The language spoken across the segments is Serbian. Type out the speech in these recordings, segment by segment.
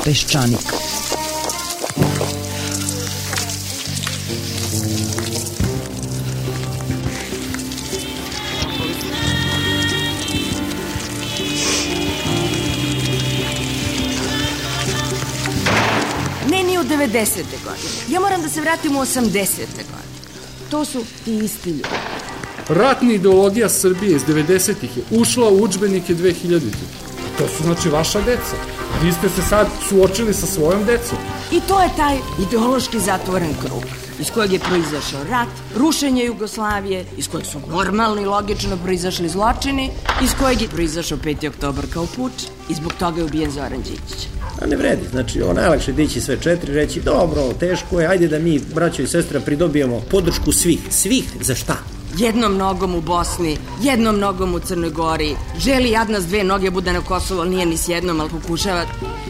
Peščanik. Ne, ni u 90. godine. Ja moram da se vratim u 80. godine. To su ti isti ljudi. Ratna ideologija Srbije iz 90-ih je ušla u udžbenike 2000-ih. To su znači vaša deca. Vi ste se sad suočili sa svojom decom. I to je taj ideološki zatvoren krug iz kojeg je proizašao rat, rušenje Jugoslavije, iz kojeg su normalno i logično proizašli zločini, iz kojeg je proizašao 5. oktobar kao puč i zbog toga je ubijen Zoran Đinđić. A ne vredi, znači najlakše dići sve četiri, reći dobro, teško je, ajde da mi, braćo i sestra, pridobijemo podršku svih. Svih za šta? Jednom nogom u Bosni, jednom nogom u Crnoj Gori, želi jadna s dve noge bude na Kosovo, ali nije ni s jednom, ali pokušava.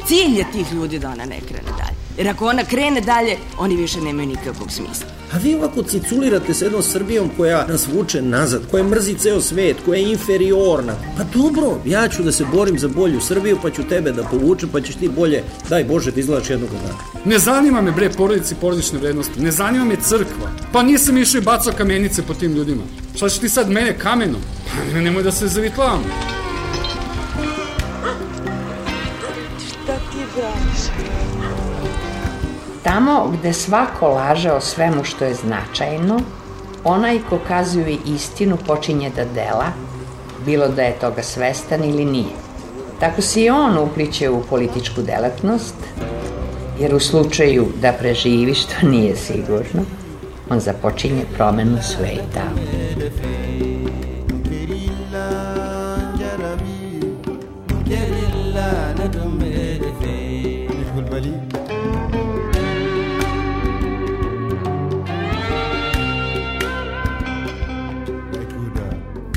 Cilj je tih ljudi da ona ne krene dalje. Jer ako ona krene dalje, oni više nemaju nikakvog smisla. A vi ovako ciculirate s jednom Srbijom koja nas vuče nazad, koja mrzi ceo svet, koja je inferiorna. Pa dobro, ja ću da se borim za bolju Srbiju, pa ću tebe da povučem, pa ćeš ti bolje, daj Bože, da izgledaš jednog dana. Ne zanima me, bre, porodice i porodične vrednosti. Ne zanima me crkva. Pa nisam išao i bacao kamenice po tim ljudima. Šta ćeš ti sad mene kamenom? Pa nemoj da se zavitlavamo. Šta ti braniš? Tamo gde svako laže o svemu što je značajno, onaj ko kazuje istinu počinje da dela, bilo da je toga svestan ili nije. Tako se i on upliće u političku delatnost, jer u slučaju da preživi, što nije sigurno, on započinje promenu sveta.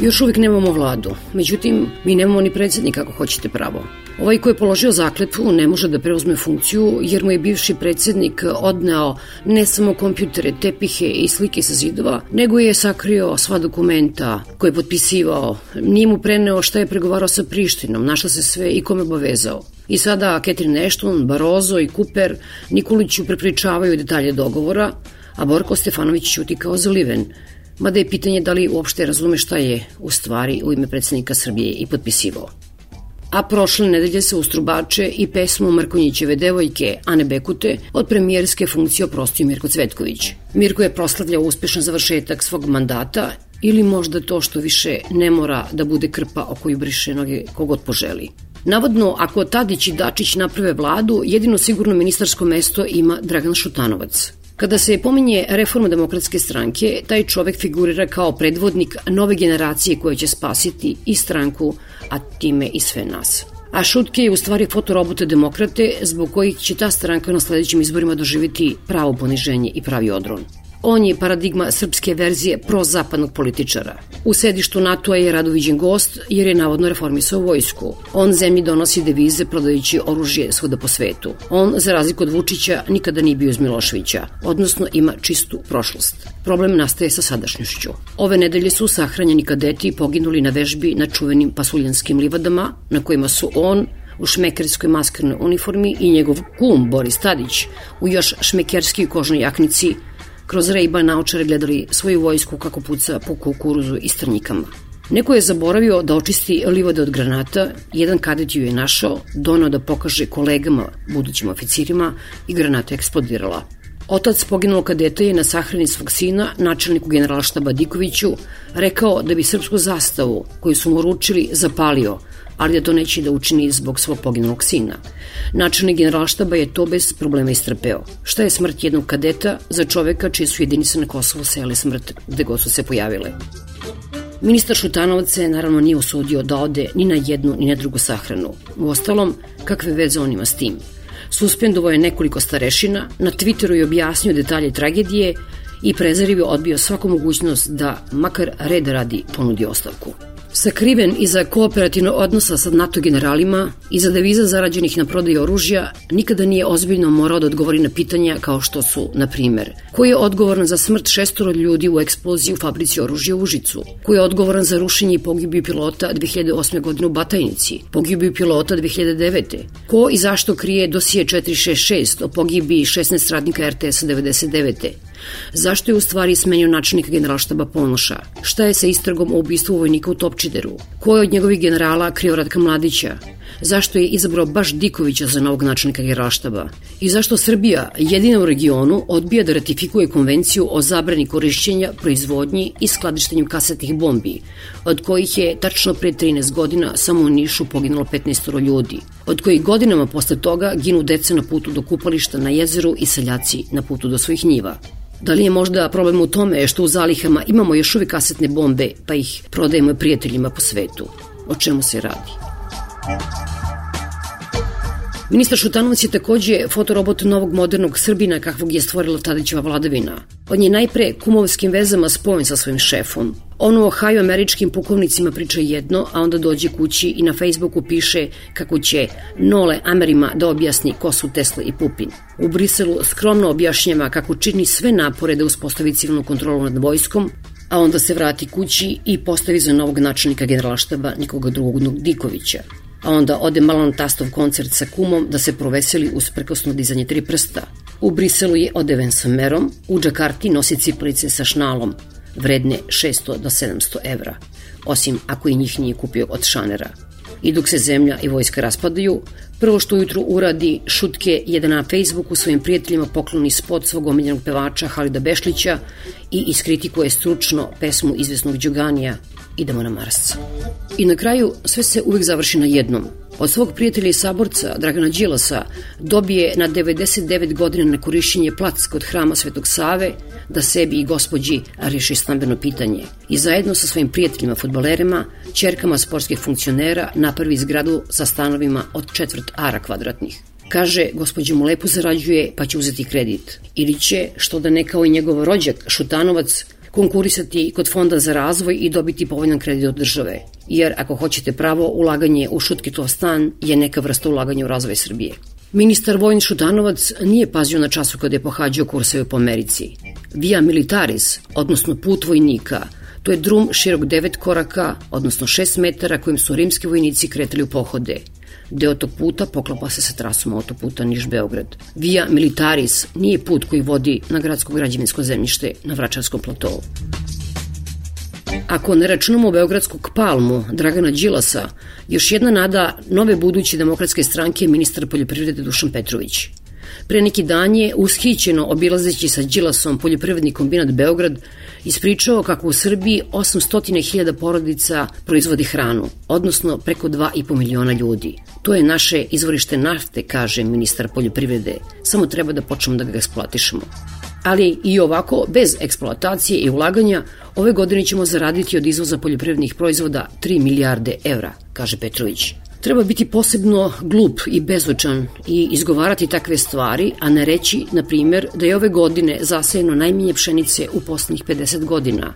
Još uvijek nemamo vladu, međutim, mi nemamo ni predsjednika ako hoćete pravo. Ovaj ko je položio zakletvu ne može da preuzme funkciju jer mu je bivši predsjednik odneo ne samo kompjutere, tepihe i slike sa zidova, nego je sakrio sva dokumenta koje je potpisivao, nije mu preneo šta je pregovarao sa Prištinom, na šta se sve i kome obavezao. I sada Catherine Ashton, Barroso i Cooper Nikoliću prepričavaju detalje dogovora, a Borko Stefanović ćuti kao zaliven, mada je pitanje da li uopšte razume šta je u stvari u ime predsjednika Srbije i potpisivao. A prošle nedelje se ustrubače i pesmu Mrkonjićeve devojke Ane Bekute od premijerske funkcije oprostio Mirko Cvetković. Mirko je proslavljao uspešan završetak svog mandata ili možda to što više ne mora da bude krpa o koju briše noge kogod poželi. Navodno, ako Tadić i Dačić naprave vladu, jedino sigurno ministarsko mesto ima Dragan Šutanovac. Kada se pominje reforma Demokratske stranke, taj čovek figurira kao predvodnik nove generacije koja će spasiti i stranku, a time i sve nas. A Šutke je u stvari fotorobota demokrate zbog kojih će ta stranka na sledećim izborima doživjeti pravo poniženje i pravi odron. On je paradigma srpske verzije prozapadnog političara. U sedištu NATO-a je rado viđen gost jer je navodno reformisao vojsku. On zemlji donosi devize prodajući oružje svuda po svetu. On, za razliku od Vučića, nikada nije bio uz Miloševića, odnosno ima čistu prošlost. Problem nastaje sa sadašnjošću. Ove nedelje su sahranjeni kadeti poginuli na vežbi na čuvenim pasuljanskim livadama, na kojima su on, u šmekerskoj maskarnoj uniformi i njegov kum Boris Tadić u još šmekerskoj kožnoj jaknici kroz Ray-Ban naočare gledali svoju vojsku kako puca po kukuruzu i strnjikama. Neko je zaboravio da očisti livade od granata, jedan kadet ju je našao, donao da pokaže kolegama, budućim oficirima i granata eksplodirala. Otac poginulog kadeta je na sahrani svog sina, načelniku generalštaba Dikoviću, rekao da bi srpsku zastavu koju su mu uručili zapalio, ali da to neće da učini zbog svog poginulog sina. Načelnik generalštaba je to bez problema istrpeo. Šta je smrt jednog kadeta za čoveka čije su jedinice na Kosovu sejale smrt gde god su se pojavile? Ministar Šutanovac se naravno nije usudio da ode ni na jednu ni na drugu sahranu. Uostalom, kakve veze on ima s tim? Suspendovao je nekoliko starešina, na Twitteru je objasnio detalje tragedije i prezarivo odbio svaku mogućnost da, makar reda radi, ponudi ostavku. Sakriven iza kooperativnog odnosa sa NATO generalima, iza deviza zarađenih na prodaji oružja, nikada nije ozbiljno morao da odgovori na pitanja kao što su, na primer, ko je odgovoran za smrt 6 ljudi u eksploziji u fabrici oružja u Užicu, ko je odgovoran za rušenje i pogibiju pilota 2008. godine u Batajnici, pogibiju pilota 2009. Ko i zašto krije dosije 466 o pogibiji 16 radnika RTS-a 99. Zašto je u stvari smenio načelnika generalštaba Ponoša? Šta je sa istragom o ubistvu vojnika u Topčideru? Ko je od njegovih generala krio Ratka Mladića? Zašto je izabrao baš Dikovića za novog načelnika generalštaba? I zašto Srbija, jedina u regionu, odbija da ratifikuje konvenciju o zabrani korišćenja, proizvodnji i skladištenju kasetnih bombi, od kojih je tačno pre 13 godina samo u Nišu poginulo 15 ljudi, od kojih godinama posle toga ginu deca na putu do kupališta na jezeru i seljaci na putu do svojih njiva? Da li je možda problem u tome što u zalihama imamo još uvijek kasetne bombe pa ih prodajemo prijateljima po svetu? O čemu se radi? Ministar Šutanovac je takođe fotorobot novog modernog Srbina kakvog je stvorila Tadićeva vladavina. On je najpre kumovskim vezama spojen sa svojim šefom. On u Ohio američkim pukovnicima priča jedno, a onda dođe kući i na Facebooku piše kako će Nole Amerima da objasni ko su Tesla i Pupin. U Briselu skromno objašnjava kako čini sve napore da uspostavi civilnu kontrolu nad vojskom, a onda se vrati kući i postavi za novog načelnika generalštaba nikoga drugog Dikovića. A onda ode malo na tastov koncert sa kumom da se proveseli uz prkosno dizanje 3 prsta. U Briselu je odeven sa merom, u Džakarti nosi cipelice sa šnalom, vredne 600 do 700 evra, osim ako i njih nije kupio od šanera. I dok se zemlja i vojska raspadaju, prvo što ujutru uradi šutke je da na Facebooku svojim prijateljima pokloni spot svog omiljenog pevača Halida Bešlića i iskritikuje stručno pesmu izvesnog Đoganija Idemo na Mars. I na kraju sve se uvek završi na jednom. Od svog prijatelja i saborca Dragana Đilasa dobije na 99 godina na korišćenje plac kod hrama Svetog Save da sebi i gospođi reši stambeno pitanje i zajedno sa svojim prijateljima fudbalerima, ćerkama sportskih funkcionera napravi zgradu sa stanovima od 1/4 ara kvadratnih. Kaže, gospođa mu lepo zarađuje pa će uzeti kredit. Ili će, što da ne kao i njegov rođak Šutanovac, konkurisati kod Fonda za razvoj i dobiti povoljan kredit od države. Jer ako hoćete pravo, ulaganje u Šutkitov stan je neka vrsta ulaganja u razvoj Srbije. Ministar vojni Šutanovac nije pazio na času kada je pohađao kurseve po Americi. Via Militaris, odnosno put vojnika, to je drum širok 9 koraka, odnosno 6 metara kojim su rimski vojnici kretali u pohode. Deo tog puta poklapa se sa trasom autoputa Niš-Beograd. Via Militaris nije put koji vodi na gradsko građevinsko zemljište na Vračarskom platovu. Ako ne računamo beogradskog palmu Dragana Đilasa, još jedna nada nove buduće demokratske stranke je ministar poljoprivrede Dušan Petrović. Pre neki dan je ushićeno obilazeći sa Đilasom poljoprivredni kombinat Beograd ispričao kako u Srbiji 800.000 porodica proizvodi hranu, odnosno preko 2,5 miliona ljudi. To je naše izvorište nafte, kaže ministar poljoprivrede, samo treba da počnemo da ga eksploatišemo. Ali i ovako, bez eksploatacije i ulaganja, ove godine ćemo zaraditi od izvoza poljoprivrednih proizvoda 3 milijarde evra, kaže Petrović. Treba biti posebno glup i bezočan i izgovarati takve stvari, a ne reći, na primjer, da je ove godine zasejeno najmanje pšenice u poslednjih 50 godina,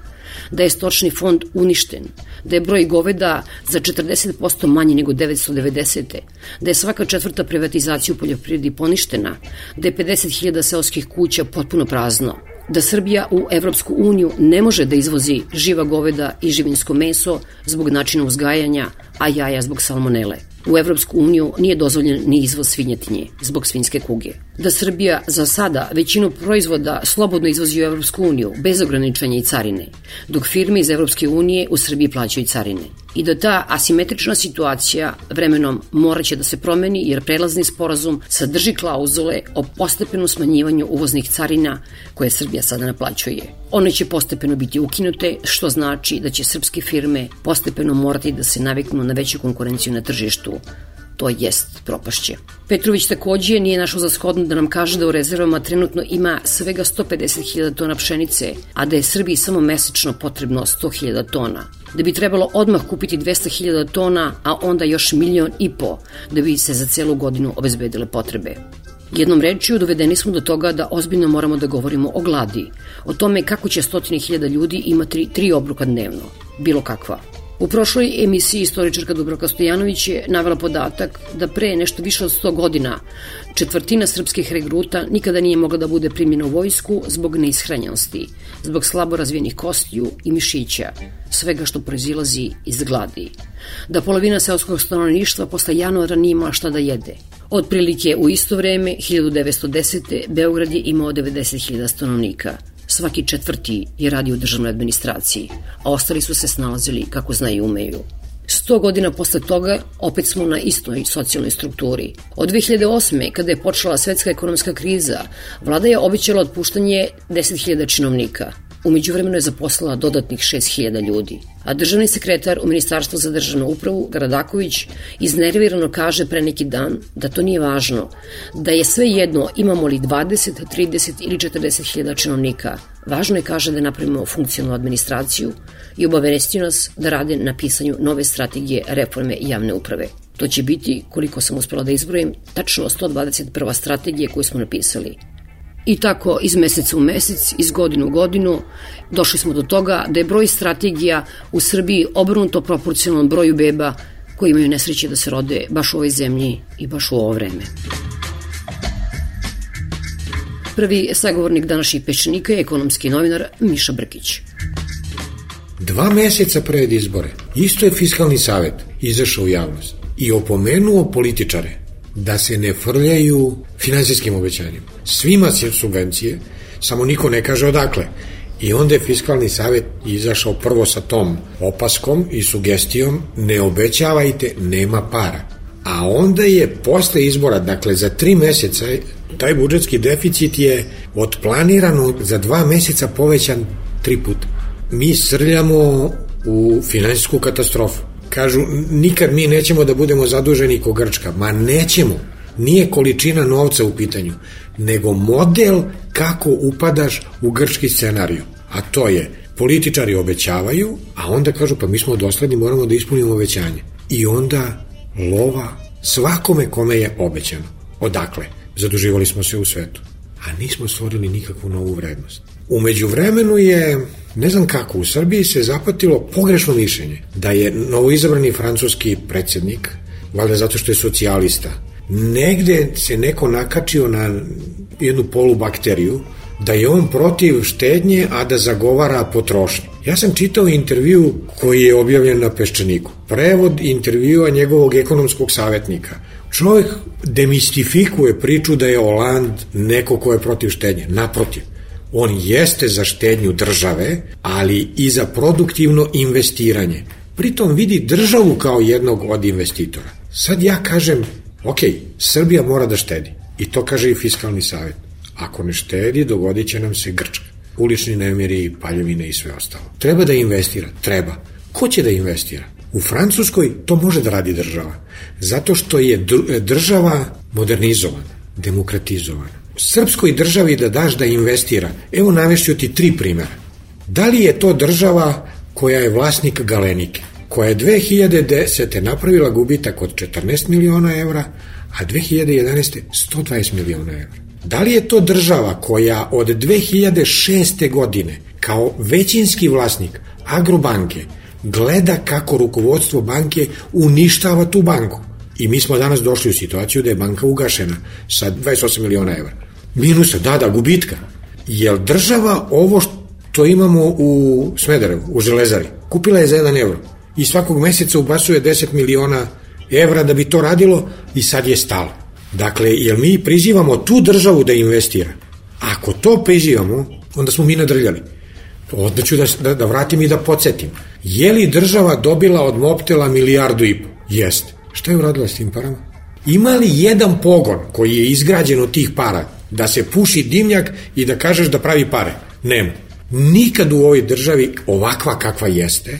da je stočni fond uništen, da je broj goveda za 40% manji nego 990. Da je svaka 4. privatizacija u poljoprivredi poništena, da je 50.000 seoskih kuća potpuno prazno, da Srbija u Evropsku uniju ne može da izvozi živa goveda i živinsko meso zbog načina uzgajanja, a jaja zbog salmonele. U Evropsku uniju nije dozvoljen ni izvoz svinjetinje zbog svinjske kuge. Da Srbija za sada većinu proizvoda slobodno izvozi u Evropsku uniju bez ograničenja i carine, dok firme iz Evropske unije u Srbiji plaćaju carine. I da ta asimetrična situacija vremenom moraće da se promeni jer prelazni sporazum sadrži klauzule o postepenom smanjivanju uvoznih carina koje Srbija sada naplaćuje. One će postepeno biti ukinute, što znači da će srpske firme postepeno morati da se naviknu na veću konkurenciju na tržištu. To jest propašće. Petrović takođe nije našao za shodno da nam kaže da u rezervama trenutno ima svega 150.000 tona pšenice, a da je Srbiji samo mesečno potrebno 100.000 tona. Da bi trebalo odmah kupiti 200.000 tona, a onda još 1,5 miliona da bi se za celu godinu obezbedile potrebe. Jednom rečju dovedeni smo do toga da ozbiljno moramo da govorimo o gladi, o tome kako će 100.000 ljudi imati 3 obroka dnevno, bilo kakva. U prošloj emisiji istoričarka Dubravka Stojanović je navela podatak da pre nešto više od 100 godina četvrtina srpskih regruta nikada nije mogla da bude primljena u vojsku zbog neishranjenosti, zbog slabo razvijenih kostiju i mišića, svega što proizilazi iz gladi. Da polovina seoskog stanovništva posle januara nije imala šta da jede. Otprilike u isto vreme, 1910. Beograd je imao 90.000 stanovnika. Svaki četvrti je radio u državnoj administraciji, a ostali su se snalazili kako znaju i umeju. 100 godina posle toga opet smo na istoj socijalnoj strukturi. Od 2008. kada je počela svetska ekonomska kriza, vlada je obećala otpuštanje 10.000 činovnika. Umeđu vremenu je zaposlila dodatnih 6.000 ljudi. A državni sekretar u Ministarstvu za državnu upravu, Gradaković, iznervirano kaže pre neki dan da to nije važno, da je sve jedno imamo li 20, 30 ili 40.000 činovnika. Važno je, kaže, da napravimo funkcionalnu administraciju i obavestio nas da rade na pisanju nove strategije reforme javne uprave. To će biti, koliko sam uspela da izbrojim, tačno 121. strategije koju smo napisali. I tako iz meseca u mesec, iz godinu u godinu, došli smo do toga da je broj strategija u Srbiji obrnuto proporcionalan broju beba koji imaju nesreće da se rode baš u ovoj zemlji i baš u ovo vreme. Prvi sagovornik današnjih peščanika je ekonomski novinar Miša Brkić. 2 meseca pred izbore isto je Fiskalni savet izašao u javnost i opomenuo političare da se ne frljaju finansijskim obećanjima. Svima se subvencije, samo niko ne kaže odakle. I onda je Fiskalni savet izašao prvo sa tom opaskom i sugestijom ne obećavajte, nema para. A onda je posle izbora, dakle za 3 meseca, taj budžetski deficit je od planiranog za 2 meseca povećan 3 puta. Mi srljamo u finansijsku katastrofu. Kažu, nikad mi nećemo da budemo zaduženi ko Grčka. Ma nećemo. Nije količina novca u pitanju, nego model kako upadaš u grčki scenariju. A to je, političari obećavaju, a onda kažu, pa mi smo dosledni, moramo da ispunimo obećanje. I onda lova svakome kome je obećano. Odakle? Zaduživali smo se u svetu, a nismo stvorili nikakvu novu vrednost. Umeđu vremenu je, ne znam kako, u Srbiji se zapatilo pogrešno mišljenje da je novoizabrani francuski predsjednik, valjda zato što je socijalista, negde se neko nakačio na jednu polubakteriju, da je on protiv štednje, a da zagovara potrošnju. Ja sam čitao intervju koji je objavljen na Peščaniku. Prevod intervjua njegovog ekonomskog savjetnika. Čovjek demistifikuje priču da je Hollande neko ko je protiv štednje. Naprotiv, on jeste za štednju države, ali i za produktivno investiranje. Pritom vidi državu kao jednog od investitora. Sad ja kažem, ok, Srbija mora da štedi. I to kaže i Fiskalni savet. Ako ne štedi, dogodit će nam se Grčka. Ulični nemiri, paljevine i sve ostalo. Treba da investira? Treba. Ko će da investira? U Francuskoj to može da radi država. Zato što je država modernizovana, demokratizovana. Srpskoj državi da daš da investira, evo navešću ti 3 primjera. Da li je to država koja je vlasnik Galenike, koja je 2010. napravila gubitak od 14 miliona evra, a 2011. 120 miliona evra? Da li je to država koja od 2006. godine kao većinski vlasnik Agrobanke gleda kako rukovodstvo banke uništava tu banku? I mi smo danas došli u situaciju da je banka ugašena sa 28 miliona evra. Minusa, da, gubitka. Jer država ovo što imamo u Smederevu, u Železari, kupila je za 1 evro i svakog meseca ubacuje 10 miliona evra da bi to radilo i sad je stalo. Dakle, jer mi prizivamo tu državu da investira. Ako to prizivamo, onda smo mi nadrljali. Onda ću da vratim i da podsjetim. Je li država dobila od Mobtela 1,5 milijardu? Jeste. Šta je uradila s tim parama? Ima li jedan pogon koji je izgrađen od tih para da se puši dimnjak i da kažeš da pravi pare? Nema. Nikad u ovoj državi ovakva kakva jeste,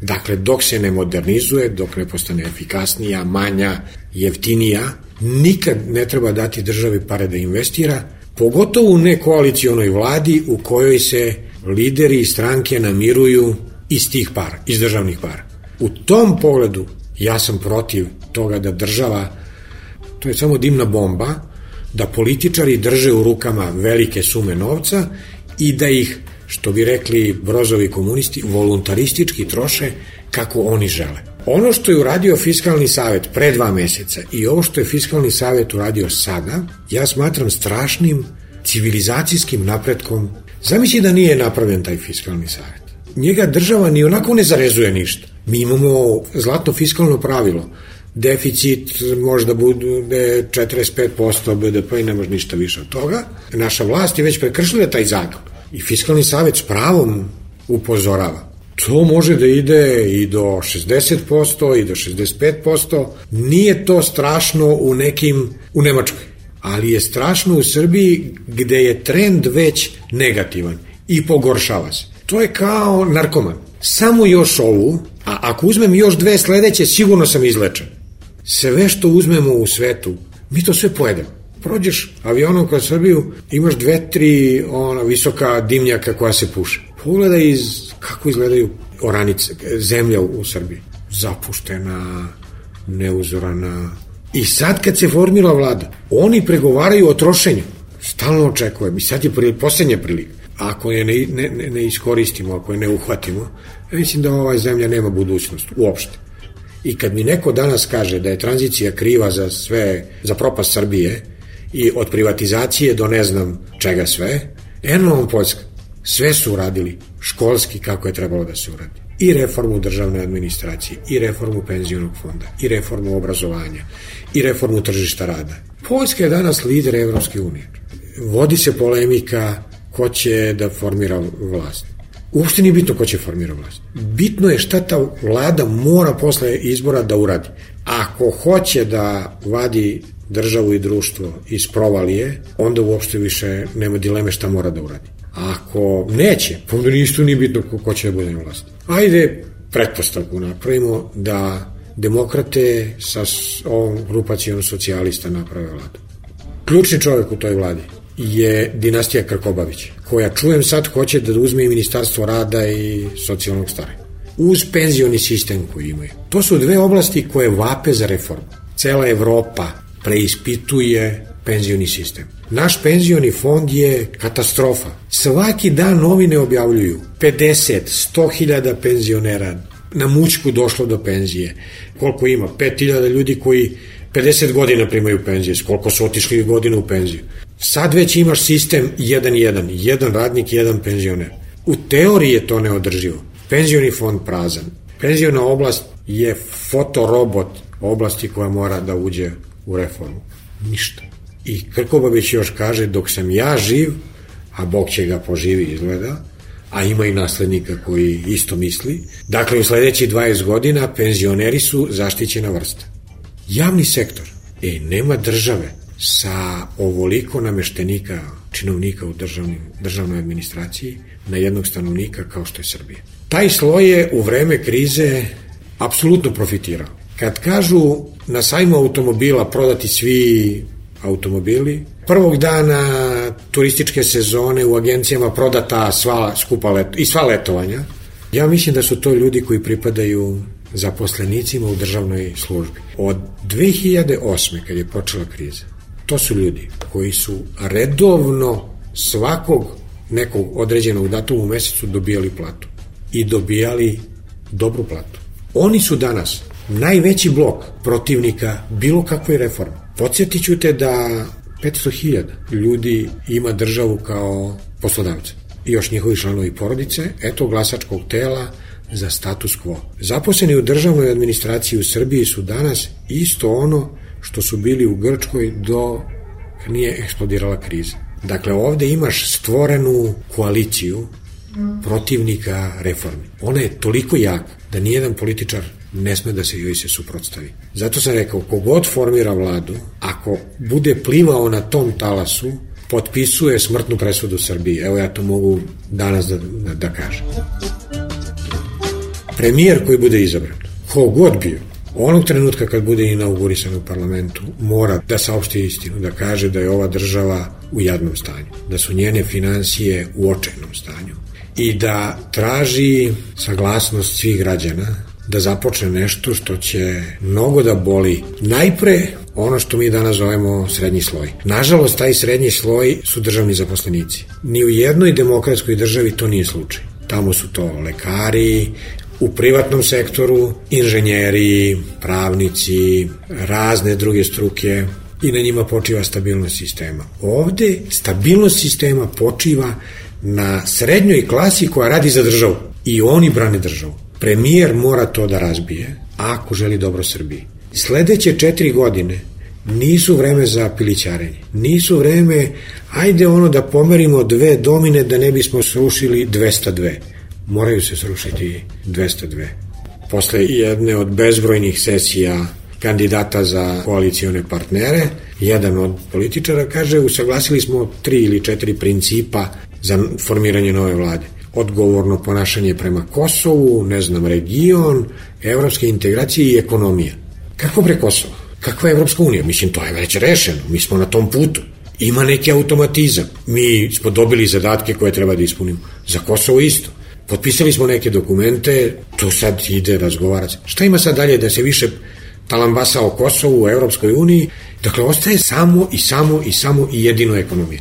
dakle dok se ne modernizuje, dok ne postane efikasnija, manja, jeftinija, nikad ne treba dati državi pare da investira, pogotovo u nekoalicionoj vladi u kojoj se lideri i stranke namiruju iz tih para, iz državnih para. U tom pogledu ja sam protiv toga da država, to je samo dimna bomba, da političari drže u rukama velike sume novca i da ih što bi rekli brozovi komunisti, voluntaristički troše kako oni žele. Ono što je uradio Fiskalni savet pre 2 meseca i ovo što je Fiskalni savet uradio sada, ja smatram strašnim civilizacijskim napretkom. Zamisli da nije napravljen taj Fiskalni savet. Njega država ni onako ne zarezuje ništa. Mi imamo zlatno fiskalno pravilo. Deficit može da bude 45% BDP i ne može ništa više od toga. Naša vlast je već prekršila taj zakon. I Fiskalni savet s pravom upozorava. To može da ide i do 60% i do 65%. Nije to strašno u Nemačkoj, ali je strašno u Srbiji gde je trend već negativan i pogoršava se. To je kao narkoman. Samo još ovu, a ako uzmem još 2 sledeće, sigurno sam izlečen. Sve što uzmemo u svetu, mi to sve pojedemo. Prođeš avionom kroz Srbiju, imaš 2-3 visoka dimnjaka koja se puše. Pogledaj kako izgledaju oranice, zemlja u Srbiji. Zapuštena, neuzorana. I sad kad se formira vlada, oni pregovaraju o trošenju. Stalno očekujem. I sad je poslednja prilika. Ako je ne iskoristimo, ako je ne uhvatimo, mislim da ova zemlja nema budućnost uopšte. I kad mi neko danas kaže da je tranzicija kriva za sve, za propast Srbije i od privatizacije do ne znam čega sve, eno Poljska, sve su uradili školski kako je trebalo da se uradi. I reformu državne administracije, i reformu penzionog fonda, i reformu obrazovanja, i reformu tržišta rada. Poljska je danas lider Evropske unije. Vodi se polemika ko će da formira vlast. Uopšte nije bitno ko će formira vlast. Bitno je šta ta vlada mora posle izbora da uradi. Ako hoće da vadi državu i društvo iz provalije, onda uopšte više nema dileme šta mora da uradi. Ako neće, pa onda isto nije bitno ko će da bude na vlasti. Ajde pretpostavku napravimo da demokrate sa ovom grupacijom socijalista naprave vladu. Ključni čovjek u toj vladi je dinastija Krkobabić, koja čujem sad hoće da uzme i Ministarstvo rada i socijalnog staranja. Uz penzioni sistem koji imaju. To su 2 oblasti koje vape za reformu. Cela Evropa preispituje penzioni sistem. Naš penzioni fond je katastrofa. Svaki dan novine objavljuju 50-100.000 penzionera na mućku došlo do penzije. Koliko ima? 5.000 ljudi koji 50 godina primaju penzije. Koliko su otišli godina u penziju? Sad već imaš sistem 1-1. Jedan radnik, jedan penzioner. U teoriji je to neodrživo. Penzioni fond prazan. Penziona oblast je fotorobot oblasti koja mora da uđe u reformu. Ništa. I Krkobabić još kaže, dok sam ja živ, a Bog će ga poživi izgleda, a ima i naslednika koji isto misli, dakle u sledećih 20 godina penzioneri su zaštićena vrsta. Javni sektor, nema države sa ovoliko nameštenika, činovnika u državnoj administraciji na jednog stanovnika kao što je Srbija. Taj sloj je u vreme krize apsolutno profitirao. Kad kažu na sajmu automobila prodati svi automobili, prvog dana turističke sezone u agencijama prodata sva letovanja, ja mislim da su to ljudi koji pripadaju zaposlenicima u državnoj službi. Od 2008. kad je počela kriza, to su ljudi koji su redovno svakog nekog određenog datuma u mesecu dobijali platu i dobijali dobru platu. Oni su danas najveći blok protivnika bilo kakve reforme. Podsjetit ću te da 500.000 ljudi ima državu kao poslodavca i još njihovi članovi porodice, eto glasačkog tela za status quo. Zaposleni u državnoj administraciji u Srbiji su danas isto ono što su bili u Grčkoj dok nije eksplodirala kriza. Dakle, ovde imaš stvorenu koaliciju protivnika reformi. Ona je toliko jaka da nijedan političar ne sme da se joj se suprotstavi. Zato sam rekao, kogod formira vladu, ako bude plivao na tom talasu, potpisuje smrtnu presudu Srbiji. Evo ja to mogu danas da kažem. Premijer koji bude izabran, kogod bio, onog trenutka kad bude inaugurisan u parlamentu, mora da saopšti istinu, da kaže da je ova država u jadnom stanju, da su njene finansije u očajnom stanju i da traži saglasnost svih građana da započne nešto što će mnogo da boli najpre ono što mi danas zovemo srednji sloj. Nažalost, taj srednji sloj su državni zaposlenici. Ni u jednoj demokratskoj državi to nije slučaj. Tamo su to lekari, u privatnom sektoru inženjeri, pravnici, razne druge struke i na njima počiva stabilnost sistema. Ovde stabilnost sistema počiva na srednjoj klasi koja radi za državu i oni brane državu. Premijer mora to da razbije ako želi dobro Srbiji. Sledeće 4 godine nisu vreme za pilićarenje. Nisu vreme, ajde da pomerimo 2 domine da ne bismo srušili 202. Moraju se srušiti 202. Posle jedne od bezbrojnih sesija kandidata za koalicione partnere, jedan od političara kaže, usaglasili smo 3 ili 4 principa za formiranje nove vlade. Odgovorno ponašanje prema Kosovu, region, evropske integracije i ekonomija. Kako bre Kosovo? Kakva je Evropska unija? Mislim, to je već rešeno. Mi smo na tom putu. Ima neki automatizam. Mi smo dobili zadatke koje treba da ispunimo. Za Kosovo isto. Potpisali smo neke dokumente, to sad ide razgovarati. Šta ima sad dalje da se više talambasa o Kosovu, u Evropskoj uniji? Dakle, ostaje samo i jedino ekonomija.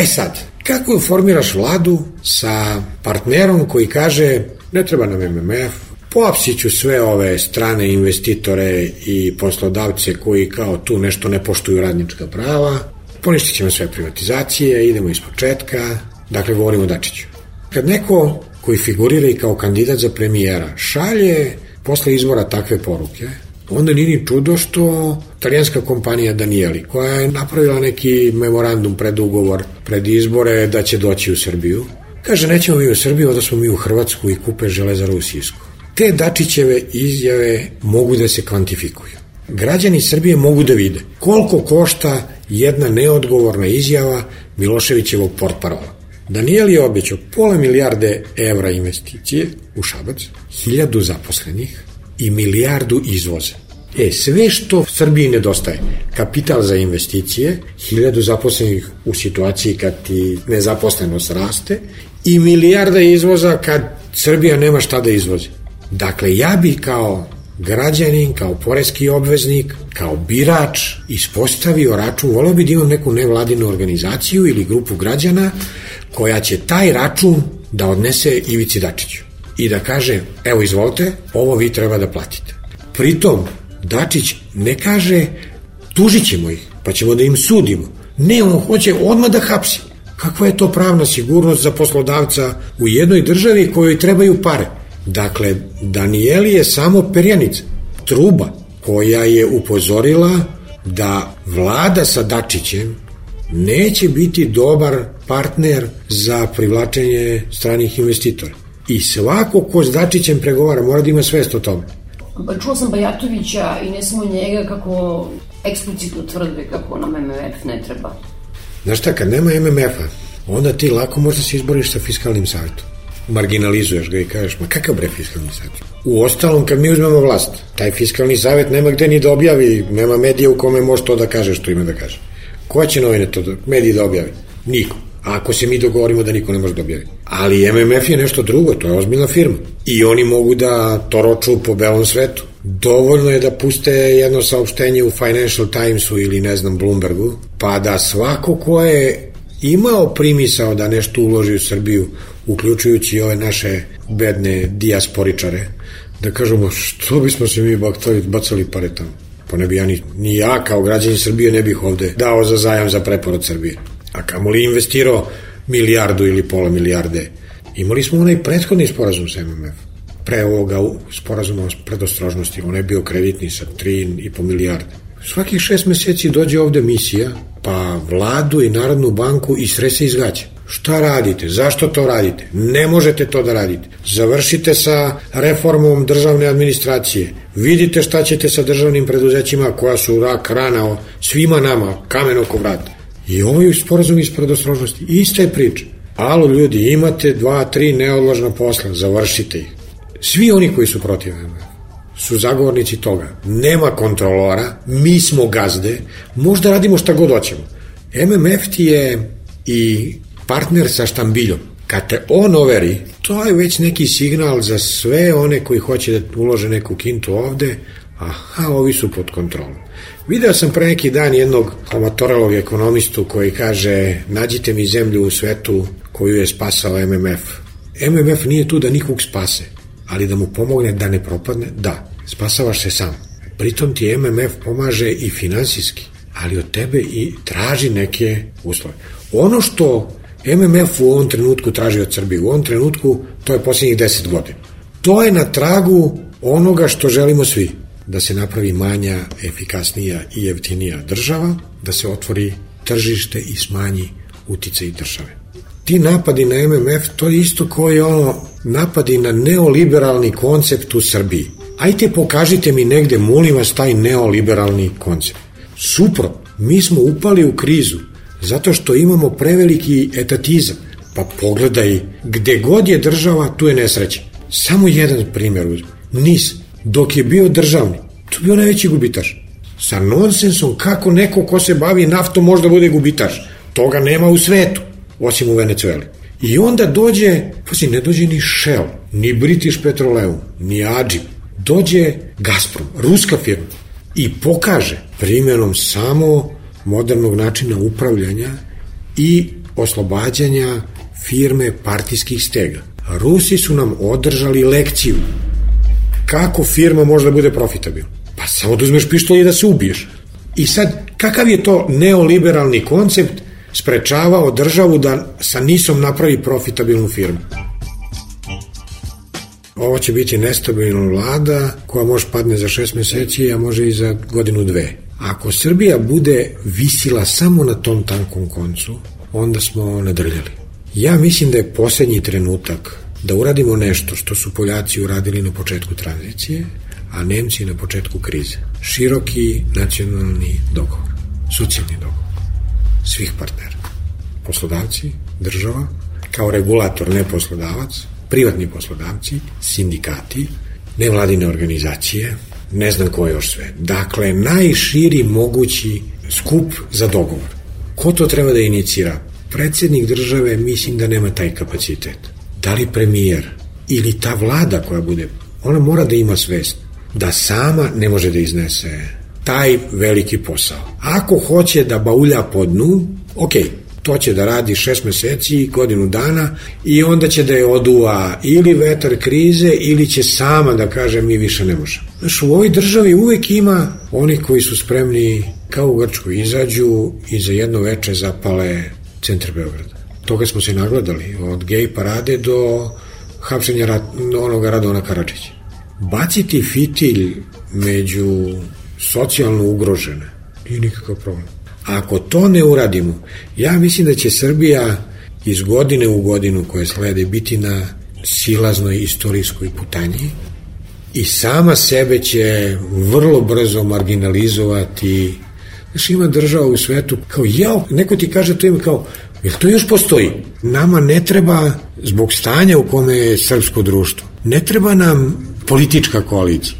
Sad, kako formiraš vladu sa partnerom koji kaže ne treba nam MMF, poapsit ću sve ove strane investitore i poslodavce koji kao tu nešto ne poštuju radnička prava, poništit ćemo sve privatizacije, idemo iz početka, dakle govorimo o Dačiću. Kad neko koji figurira i kao kandidat za premijera šalje posle izbora takve poruke, onda nije ni čudo što italijanska kompanija Danieli, koja je napravila neki memorandum predugovor pred izbore da će doći u Srbiju, kaže nećemo mi u Srbiju, onda smo mi u Hrvatsku i kupe Železaru u Sisku. Te Dačićeve izjave mogu da se kvantifikuju. Građani Srbije mogu da vide koliko košta jedna neodgovorna izjava Miloševićevog portparola. Daniel je obećao $500 milijarde evra investicije u Šabac, 1000 zaposlenih i 1 milijardu izvoza. Sve što Srbiji nedostaje, kapital za investicije, 1000 zaposlenih u situaciji kad ti nezaposlenost raste i 1 milijarda izvoza kad Srbija nema šta da izvozi. Dakle, ja bi kao građanin, kao poreski obveznik, kao birač ispostavio račun, voleo bi da imam neku nevladinu organizaciju ili grupu građana koja će taj račun da odnese Ivici Dačiću i da kaže, evo izvolite, ovo vi treba da platite. Pritom, Dačić ne kaže, tužit ćemo ih, pa ćemo da im sudimo. Ne, on hoće odmah da hapsi. Kakva je to pravna sigurnost za poslodavca u jednoj državi kojoj trebaju pare? Dakle, Danieli je samo perjanica, truba koja je upozorila da vlada sa Dačićem neće biti dobar partner za privlačenje stranih investitora. I svako ko s Dačićem pregovara mora da ima svest o tome. Čuo sam Bajatovića i ne samo njega kako eksplicitno tvrde kako nam MMF ne treba. Znaš šta, kad nema MMF-a, onda ti lako možda se izboriš sa fiskalnim savjetom. Marginalizuješ ga i kažeš, ma kakav bre fiskalni savjet? U ostalom, kad mi uzmemo vlast, taj fiskalni savjet nema gde ni da objavi, nema medija u kome može to da kaže što ima da kaže. Ko će novine to, mediji da objavi? Niko. A ako se mi dogovorimo da niko ne može da objavi. Ali MMF je nešto drugo, to je ozbiljna firma. I oni mogu da toroču po belom svetu. Dovoljno je da puste jedno saopštenje u Financial Timesu ili Bloombergu, pa da svako ko je imao primisao da nešto uloži u Srbiju, uključujući ove naše bedne dijasporičare, da kažemo što bismo se mi bacali pare tamo. Pa ne bi ja ni ja kao građanin Srbije ne bih ovde dao za zajam za preporod Srbije. A kamoli investirao 1 milijardu ili pola milijarde. Imali smo onaj prethodni sporazum sa MMF. Pre ovoga sporazuma o predostrožnosti, on je bio kreditni sa 3,5 milijarde. Svakih 6 meseci dođe ovde misija, pa vladu i Narodnu banku i srese izgaća. Šta radite? Zašto to radite? Ne možete to da radite. Završite sa reformom državne administracije. Vidite šta ćete sa državnim preduzećima koja su rak rana svima nama, kamen oko vrata. I ovo je sporazum iz predostrožnosti. Ista je priča. Alo ljudi, imate 2-3 neodložna posla, završite ih. Svi oni koji su protiv MMF su zagovornici toga. Nema kontrolora, mi smo gazde, možda radimo šta god hoćemo. MMF ti je i partner sa štambiljom. Kad te on overi, to je već neki signal za sve one koji hoće da ulože neku kintu ovde, Aha, ovi su pod kontrolom. Video sam pre neki dan jednog amatoralog ekonomistu koji kaže, nađite mi zemlju u svetu koju je spasao MMF. MMF nije tu da nikog spase, ali da mu pomogne da ne propadne, da, spasavaš se sam. Pritom ti MMF pomaže i finansijski, ali od tebe i traži neke uslove. Ono što MMF u ovom trenutku traži od Srbije, u ovom trenutku to je posljednjih 10 godina. To je na tragu onoga što želimo svi. Da se napravi manja, efikasnija i jeftinija država, da se otvori tržište i smanji uticaj države. Ti napadi na MMF, to je isto koji napadi na neoliberalni koncept u Srbiji. Ajte pokažite mi negde, molim vas, taj neoliberalni koncept. Suprotno, mi smo upali u krizu zato što imamo preveliki etatizam. Pa pogledaj, gde god je država, tu je nesreća. Samo jedan primjer uzme. NIS, dok je bio državni, to je bio najveći gubitaš. Sa nonsensom kako neko ko se bavi naftom možda bude gubitaš. Toga nema u svetu, osim u Venecueli. I onda dođe, ne dođe ni Shell, ni British Petroleum, ni Adžim, dođe Gazprom, ruska firma, i pokaže primjenom samo modernog načina upravljanja i oslobađanja firme partijskih stega. Rusi su nam održali lekciju kako firma može da bude profitabilna. Pa samo da uzmeš pištolj i da se ubiješ. I sad, kakav je to neoliberalni koncept sprečavao državu da sa NIS-om napravi profitabilnu firmu? Ovo će biti nestabilna vlada koja može padne za 6 meseci, a može i za godinu, 2. Ako Srbija bude visila samo na tom tankom koncu, onda smo nadrljali. Ja mislim da je posljednji trenutak da uradimo nešto što su Poljaci uradili na početku tranzicije, a Nemci na početku krize. Široki nacionalni dogovor, socijalni dogovor svih partnera. Poslodavci, država, kao regulator, ne poslodavac, privatni poslodavci, sindikati, nevladine organizacije, ne znam ko još sve. Dakle, najširi mogući skup za dogovor. Ko to treba da inicira? Predsjednik države, mislim da nema taj kapacitet. Da li premijer ili ta vlada koja bude, ona mora da ima svest da sama ne može da iznese taj veliki posao. Ako hoće da baulja po dnu, to će da radi 6 meseci, godinu dana, i onda će da je oduva ili vetar krize ili će sama da kaže mi više ne možemo. Znaš, u ovoj državi uvek ima oni koji su spremni, kao u Grčkoj, izađu i za jedno veče zapale centar Beograda. Toga smo se nagledali, od gej parade do hapšenja onoga Radona Karadžića. Baciti fitilj među socijalno ugrožene nije nikakav problem. Ako to ne uradimo, ja mislim da će Srbija iz godine u godinu koje slede biti na silaznoj istorijskoj putanji i sama sebe će vrlo brzo marginalizovati. Znaš, ima država u svetu kao neko ti kaže to ime kao, jer to još postoji. Nama ne treba, zbog stanja u kome je srpsko društvo, ne treba nam politička koalicija.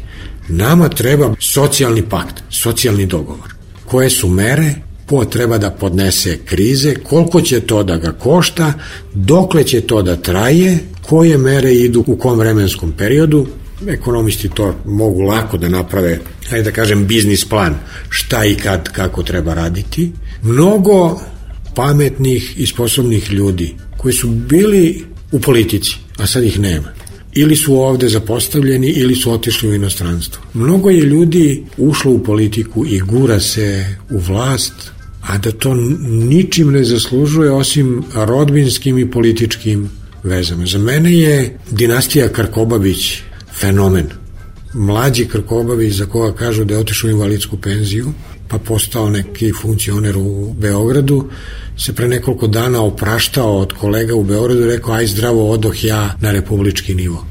Nama treba socijalni pakt, socijalni dogovor. Koje su mere, ko treba da podnese krize, koliko će to da ga košta, dokle će to da traje, koje mere idu u kom vremenskom periodu. Ekonomisti to mogu lako da naprave, hajde da kažem, biznis plan, šta i kad, kako treba raditi. Mnogo pametnih i sposobnih ljudi koji su bili u politici, a sad ih nema. Ili su ovde zapostavljeni, ili su otišli u inostranstvo. Mnogo je ljudi ušlo u politiku i gura se u vlast, a da to ničim ne zaslužuje osim rodbinskim i političkim vezama. Za mene je dinastija Krkobabić fenomen. Mlađi Krkobabić, za koga kažu da je otišao u invalidsku penziju, pa postao neki funkcioner u Beogradu, se pre nekoliko dana opraštao od kolega u Beogradu i rekao, aj zdravo, odoh ja na republički nivo.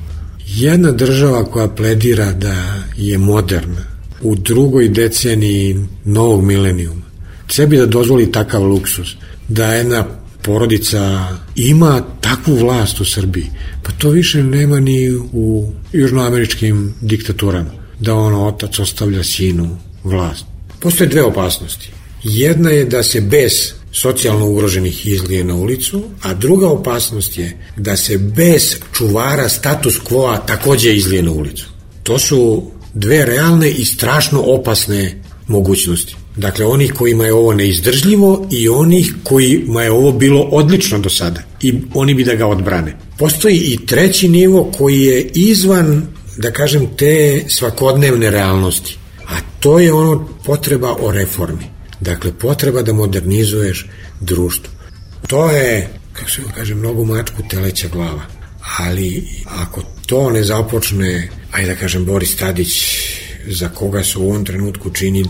Jedna država koja pledira da je moderna u drugoj deceniji novog milenijuma, sebi da dozvoli takav luksus, da jedna porodica ima takvu vlast u Srbiji, pa to više nema ni u južnoameričkim diktaturama, da otac ostavlja sinu vlast. Postoje dve opasnosti. Jedna je da se bez socijalno ugroženih izlije na ulicu, a druga opasnost je da se bez čuvara status quo-a takođe izlije na ulicu. To su dve realne i strašno opasne mogućnosti. Dakle, onih kojima je ovo neizdržljivo i onih kojima je ovo bilo odlično do sada i oni bi da ga odbrane. Postoji i treći nivo koji je izvan, da kažem, te svakodnevne realnosti, a to je ono potreba o reformi. Dakle, potreba da modernizuješ društvo. To je, kako se kaže, mnogo mačku teleća glava, ali ako to ne započne, ajde da kažem, Boris Tadić, za koga se u ovom trenutku čini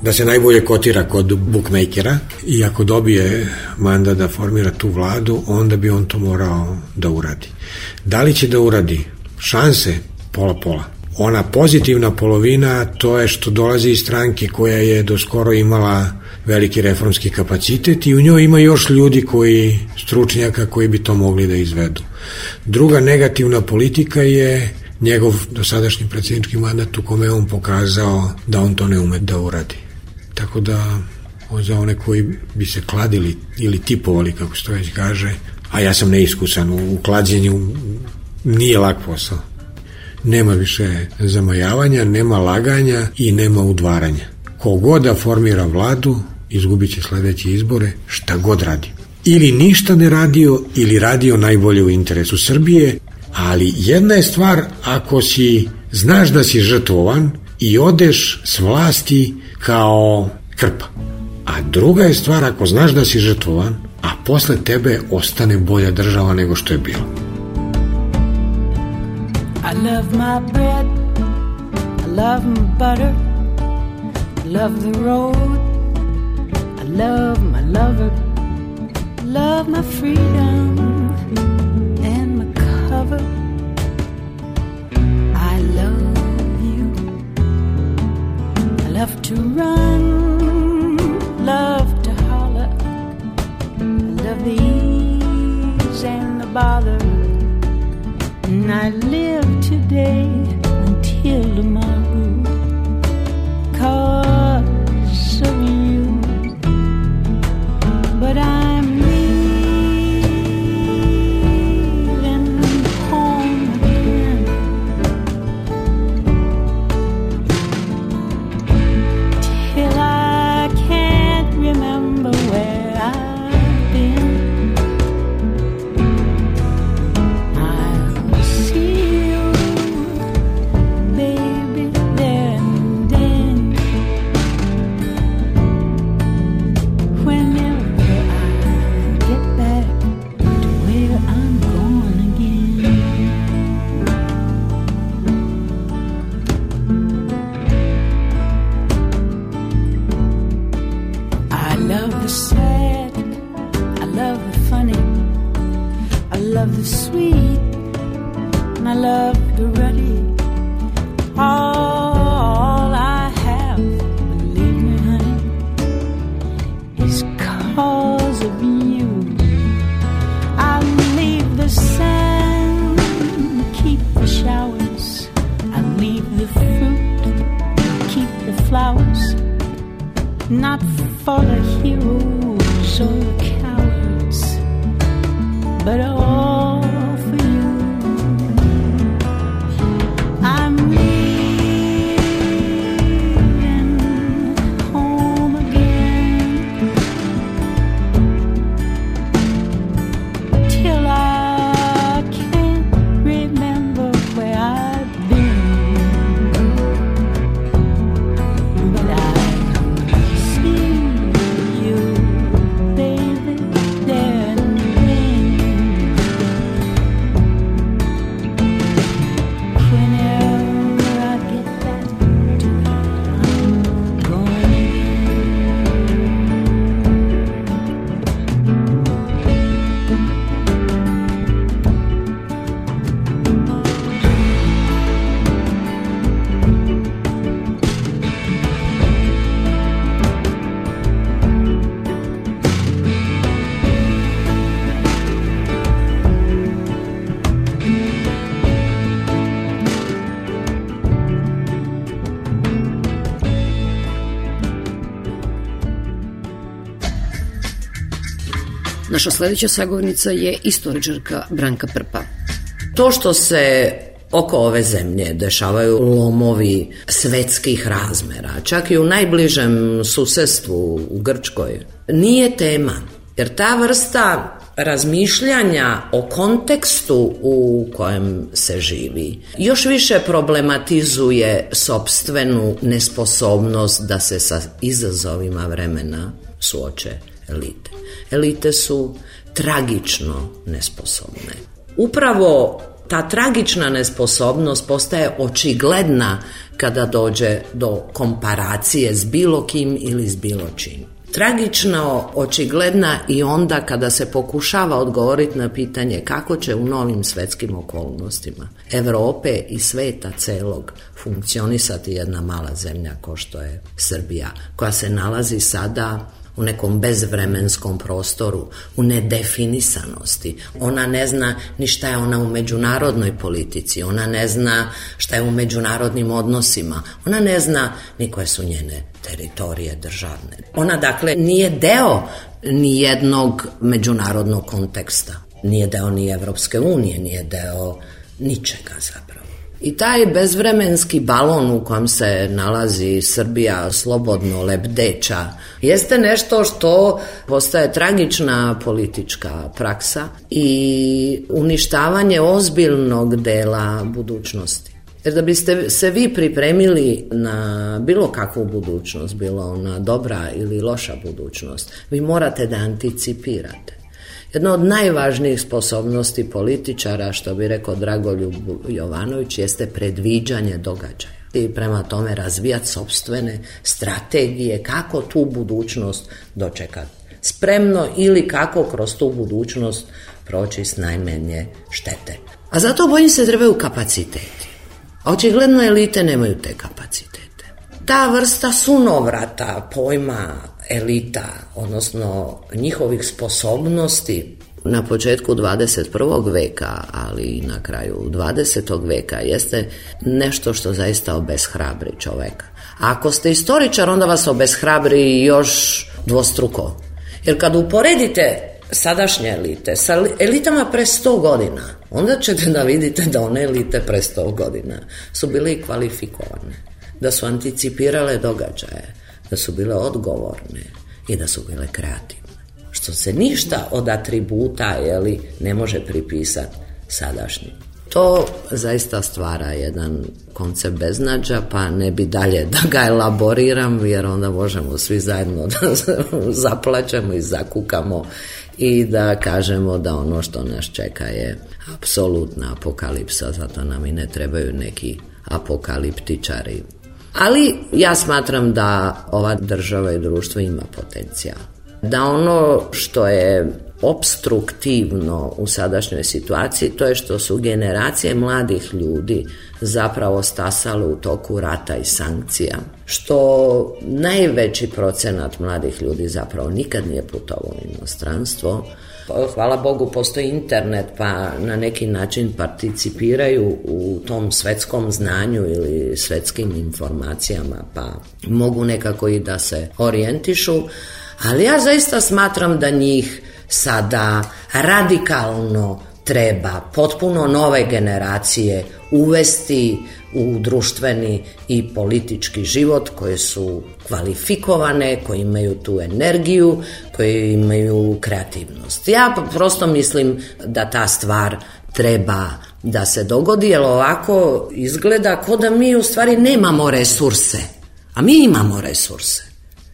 da se najbolje kotira kod bukmejkera, i ako dobije mandat da formira tu vladu, onda bi on to morao da uradi. Da li će da uradi? Šanse pola-pola. Ona pozitivna polovina, to je što dolazi iz stranke koja je do skoro imala veliki reformski kapacitet i u njoj ima još ljudi stručnjaka koji bi to mogli da izvedu. Druga negativna politika je njegov dosadašnji predsjednički mandat u kome je on pokazao da on to ne ume da uradi. Tako da za one koji bi se kladili ili tipovali, kako se to već kaže, a ja sam neiskusan u klađenju, nije lak posao. Nema više zamajavanja, nema laganja i nema udvaranja. Kogod da formira vladu, izgubit će sledeće izbore, šta god radi. Ili ništa ne radio, ili radio najbolje u interesu Srbije, ali jedna je stvar ako znaš da si žrtvovan i odeš s vlasti kao krpa. A druga je stvar ako znaš da si žrtvovan, a posle tebe ostane bolja država nego što je bila. I love my bread, I love my butter, I love the road, I love my lover, I love my freedom and my cover. I love you, I love to run, love to holler, I love the ease and the bother. And I live today until tomorrow 'cause of you. But I'm leaving home again till I can't remember where I've been. Not for the heroes or the cowards, but all for you. I'm leaving home again till I can't remember where I've been, but I Naša sledeća sagovornica je istoričarka Branka Prpa. To što se oko ove zemlje dešavaju lomovi svetskih razmera, čak i u najbližem susedstvu u Grčkoj, nije tema. Jer ta vrsta razmišljanja o kontekstu u kojem se živi još više problematizuje sopstvenu nesposobnost da se sa izazovima vremena suoče elite. Elite su tragično nesposobne. Upravo ta tragična nesposobnost postaje očigledna kada dođe do komparacije s bilo kim ili s bilo čim. Tragično očigledna i onda kada se pokušava odgovoriti na pitanje kako će u novim svetskim okolnostima Evrope i sveta celog funkcionisati jedna mala zemlja kao što je Srbija, koja se nalazi sada u nekom bezvremenskom prostoru, u nedefinisanosti. Ona ne zna ni šta je ona u međunarodnoj politici, ona ne zna šta je u međunarodnim odnosima, ona ne zna ni koje su njene teritorije državne. Ona dakle nije deo ni jednog međunarodnog konteksta, nije deo ni Evropske unije, nije deo ničega zapravo. I taj bezvremenski balon u kojem se nalazi Srbija slobodno lebdeća jeste nešto što postaje tragična politička praksa i uništavanje ozbiljnog dela budućnosti. Jer da biste se vi pripremili na bilo kakvu budućnost, bilo ona dobra ili loša budućnost, vi morate da anticipirate. Jedna od najvažnijih sposobnosti političara, što bi rekao Dragoljub Jovanović, jeste predviđanje događaja. I prema tome razvijati sopstvene strategije kako tu budućnost dočekati spremno ili kako kroz tu budućnost proći s najmanje štete. A zato bojim se trebaju kapaciteti. A očigledno elite nemaju te kapacitete. Ta vrsta sunovrata pojma elita, odnosno njihovih sposobnosti na početku 21. veka, ali i na kraju 20. veka, jeste nešto što zaista obeshrabri čoveka. A ako ste istoričar, onda vas obeshrabri još dvostruko. Jer kad uporedite sadašnje elite sa elitama pre 100 godina, onda ćete da vidite da one elite pre 100 godina su bile kvalifikovane, da su anticipirale događaje, da su bile odgovorne i da su bile kreativne. Što se ništa od atributa ne može pripisati sadašnjim. To zaista stvara jedan koncept beznađa, pa ne bi dalje da ga elaboriram, jer onda možemo svi zajedno da zaplačemo i zakukamo i da kažemo da ono što nas čeka je apsolutna apokalipsa, zato nam i ne trebaju neki apokaliptičari. Ali ja smatram da ova država i društvo ima potencijal. Da ono što je opstruktivno u sadašnjoj situaciji, to je što su generacije mladih ljudi zapravo stasale u toku rata i sankcija, što najveći procenat mladih ljudi zapravo nikad nije putovao u inostranstvo. Hvala Bogu, postoji internet, pa na neki način participiraju u tom svetskom znanju ili svetskim informacijama, pa mogu nekako i da se orijentišu, ali ja zaista smatram da njih sada radikalno treba potpuno nove generacije uvesti u društveni i politički život, koje su kvalifikovane, koji imaju tu energiju, koji imaju kreativnost. Ja prosto mislim da ta stvar treba da se dogodi, jer ovako izgleda kao da mi u stvari nemamo resurse, a mi imamo resurse.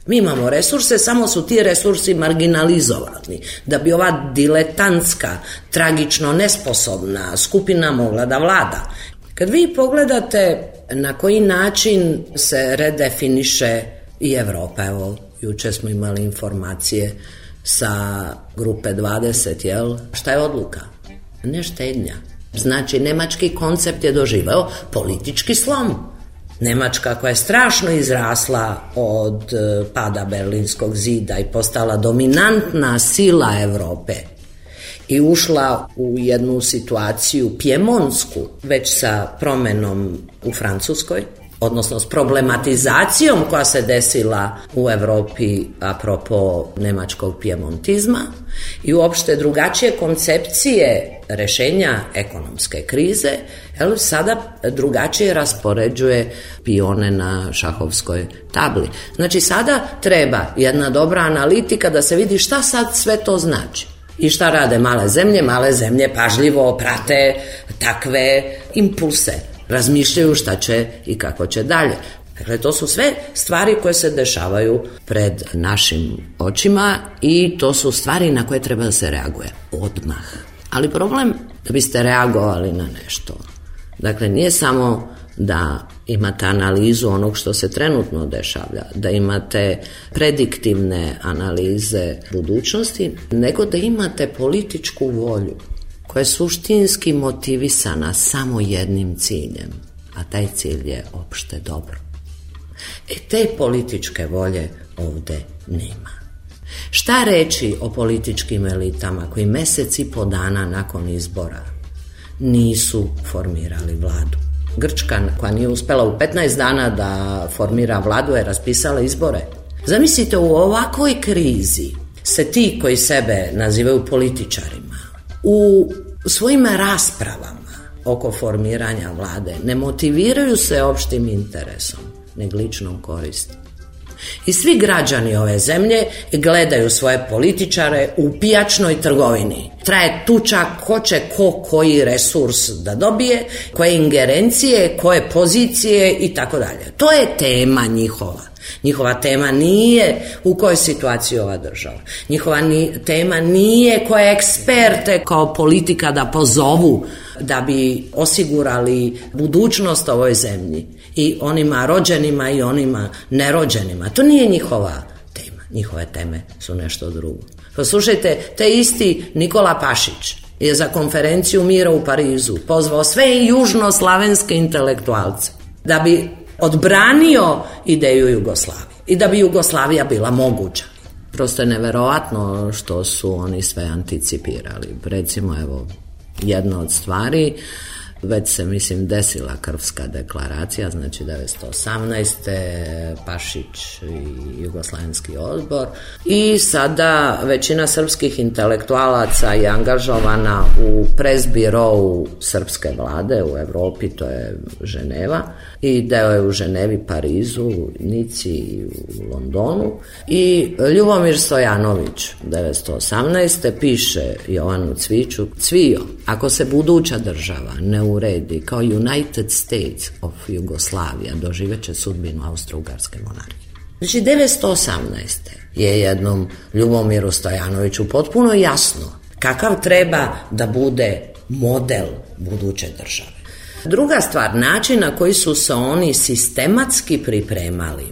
Mi imamo resurse, samo su ti resursi marginalizovani, da bi ova diletantska, tragično nesposobna skupina mogla da vlada. Kad vi pogledate na koji način se redefiniše i Evropa, evo, juče smo imali informacije sa grupe 20, jel? Šta je odluka? Ne štednja. Znači, nemački koncept je doživeo politički slom. Njemačka, koja je strašno izrasla od pada Berlinskog zida i postala dominantna sila Evrope i ušla u jednu situaciju pjemonsku, već sa promenom u Francuskoj, odnosno s problematizacijom koja se desila u Evropi apropo nemačkog pijemontizma i uopšte drugačije koncepcije rešenja ekonomske krize, sada drugačije raspoređuje pione na šahovskoj tabli. Znači sada treba jedna dobra analitika da se vidi šta sad sve to znači. I šta rade male zemlje? Male zemlje pažljivo prate takve impulse. Razmišljaju šta će i kako će dalje. Dakle, to su sve stvari koje se dešavaju pred našim očima i to su stvari na koje treba da se reaguje odmah. Ali problem da biste reagovali na nešto. Dakle, nije samo da imate analizu onog što se trenutno dešavlja, da imate prediktivne analize budućnosti, nego da imate političku volju koja je suštinski motivisana samo jednim ciljem, a taj cilj je opšte dobro. Te političke volje ovde nema. Šta reći o političkim elitama koji mesec i po dana nakon izbora nisu formirali vladu? Grčka, koja nije uspela u 15 dana da formira vladu, je raspisala izbore. Zamislite, u ovakvoj krizi se ti koji sebe nazivaju političarima u svojim raspravama oko formiranja vlade ne motiviraju se opštim interesom, nego ličnom koristi. I svi građani ove zemlje gledaju svoje političare u pijačnoj trgovini. Traje tuča ko će koji resurs da dobije, koje ingerencije, koje pozicije i tako dalje. To je tema njihova. Njihova tema nije u kojoj situaciji ova država. Njihova tema nije koje eksperte kao politika da pozovu da bi osigurali budućnost ovoj zemlji i onima rođenima i onima nerođenima. To nije njihova tema. Njihove teme su nešto drugo. Poslušajte, te isti Nikola Pašić je za konferenciju mira u Parizu pozvao sve južnoslavenske intelektualce da bi odbranio ideju Jugoslavije i da bi Jugoslavija bila moguća. Prosto je neverovatno što su oni sve anticipirali. Recimo, evo, jedna od stvari, već se, mislim, desila Krfska deklaracija, znači 1918. Pašić i Jugoslavenski odbor, i sada većina srpskih intelektualaca je angažovana u presbirou srpske vlade u Evropi, to je Ženeva, i deo je u Ženevi, Parizu, Nici i u Londonu, i Ljubomir Stojanović 1918. piše Jovanu Cviću: Cvijo, ako se buduća država ne uredi kao United States of Jugoslavia, doživeće sudbinu Austro-Ugarske monarhije. Znači, 1918. je jednom Ljubomiru Stojanoviću potpuno jasno kakav treba da bude model buduće države. Druga stvar, način na koji su se oni sistematski pripremali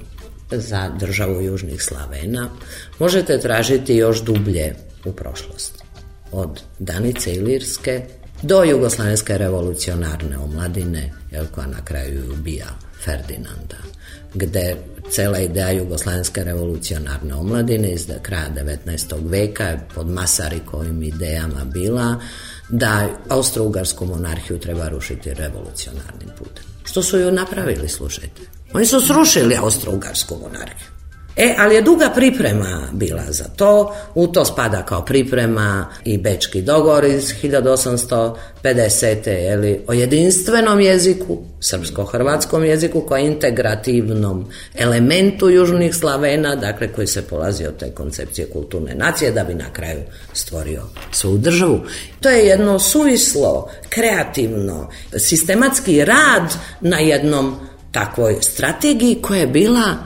za državu Južnih Slavena možete tražiti još dublje u prošlosti. Od Danice Ilirske do Jugoslavenske revolucionarne omladine, koja na kraju ubija Ferdinanda, gde cela ideja Jugoslavenske revolucionarne omladine iz kraja 19. veka pod Masarikovim idejama bila da Austro-Ugarsku monarhiju treba rušiti revolucionarnim putem. Što su ju napravili, slušajte? Oni su srušili Austro-Ugarsku monarhiju. Ali je duga priprema bila za to, u to spada kao priprema i Bečki dogovor iz 1850. O jedinstvenom jeziku, srpsko-hrvatskom jeziku, kao integrativnom elementu Južnih Slavena, dakle koji se polazi od te koncepcije kulturne nacije da bi na kraju stvorio svoju državu. To je jedno suvislo, kreativno, sistematski rad na jednom takvoj strategiji koja je bila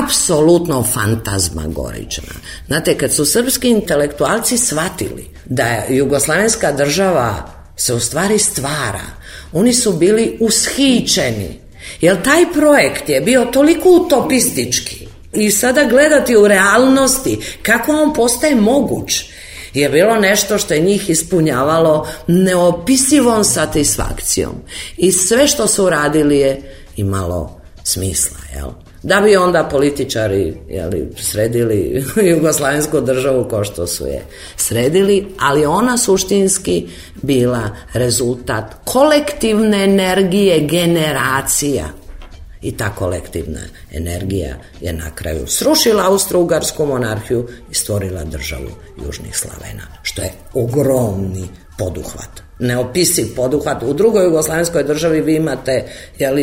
apsolutno fantazmagorična. Znate, kad su srpski intelektualci shvatili da jugoslavenska država se u stvari stvara, oni su bili ushićeni, jer taj projekt je bio toliko utopistički i sada gledati u realnosti kako on postaje moguć je bilo nešto što je njih ispunjavalo neopisivom satisfakcijom i sve što su radili je imalo smisla, jel? Da bi onda političari sredili jugoslavensku državu kao što su je sredili, ali ona suštinski bila rezultat kolektivne energije generacija I ta kolektivna energija je na kraju srušila Austro-Ugarsku monarhiju i stvorila državu Južnih Slavena, što je ogromni poduhvat. Neopisiv poduhvat. U drugoj jugoslavenskoj državi vi imate,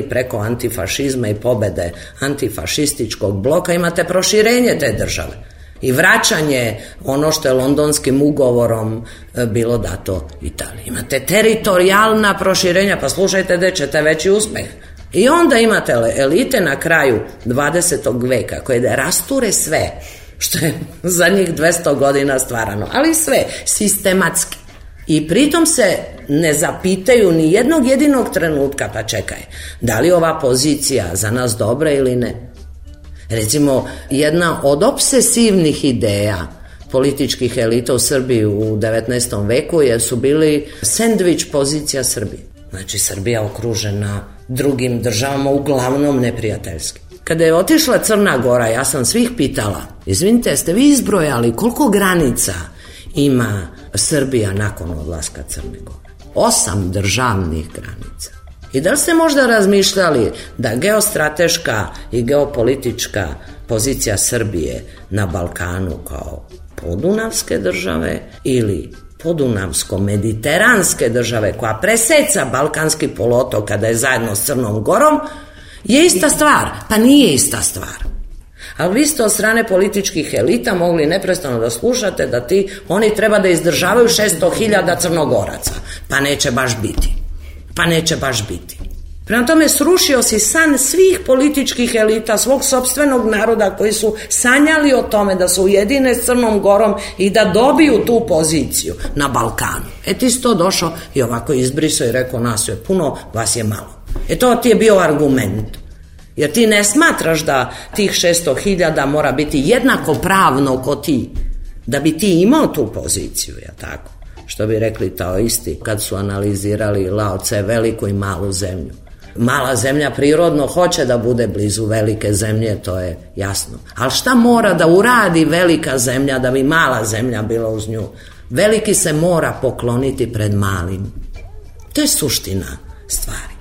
preko antifašizma i pobede antifašističkog bloka, imate proširenje te države i vraćanje ono što je Londonskim ugovorom bilo dato Italiji. Imate teritorijalna proširenja, pa slušajte gde ćete veći uspeh. I onda imate elite na kraju 20. veka koje rasture sve što je za njih 200 godina stvarano, ali sve sistematski. I pritom se ne zapitaju ni jednog jedinog trenutka, pa čekaj, da li ova pozicija za nas dobra ili ne. Recimo, jedna od obsesivnih ideja političkih elita u Srbiji u 19. veku su bili sendvič pozicija Srbije. Znači, Srbija okružena drugim državama, uglavnom neprijateljski. Kada je otišla Crna Gora, ja sam svih pitala, izvinite, jeste vi izbrojali koliko granica ima Srbija nakon odlaska Crne Gore? 8 državnih granica. I da li ste možda razmišljali da geostrateška i geopolitička pozicija Srbije na Balkanu kao podunavske države ili podunavsko-mediteranske države koja preseca Balkanski poluotok kada je zajedno s Crnom Gorom je ista stvar? Pa nije ista stvar. Ali vi ste od strane političkih elita mogli neprestano da slušate da oni treba da izdržavaju 600.000 Crnogoraca. Pa neće baš biti. Prema tome, srušio si san svih političkih elita, svog sopstvenog naroda koji su sanjali o tome da se ujedine s Crnom Gorom i da dobiju tu poziciju na Balkanu. Ti si to došao i ovako izbrisao i rekao, nas je puno, vas je malo. To ti je bio argument. Jer ti ne smatraš da tih 600.000 mora biti jednako pravno ko ti, da bi ti imao tu poziciju, tako? Što bi rekli taoisti kad su analizirali Lao Tse, veliku i malu zemlju. Mala zemlja prirodno hoće da bude blizu velike zemlje, to je jasno. Ali šta mora da uradi velika zemlja da bi mala zemlja bila uz nju? Veliki se mora pokloniti pred malim. To je suština stvari.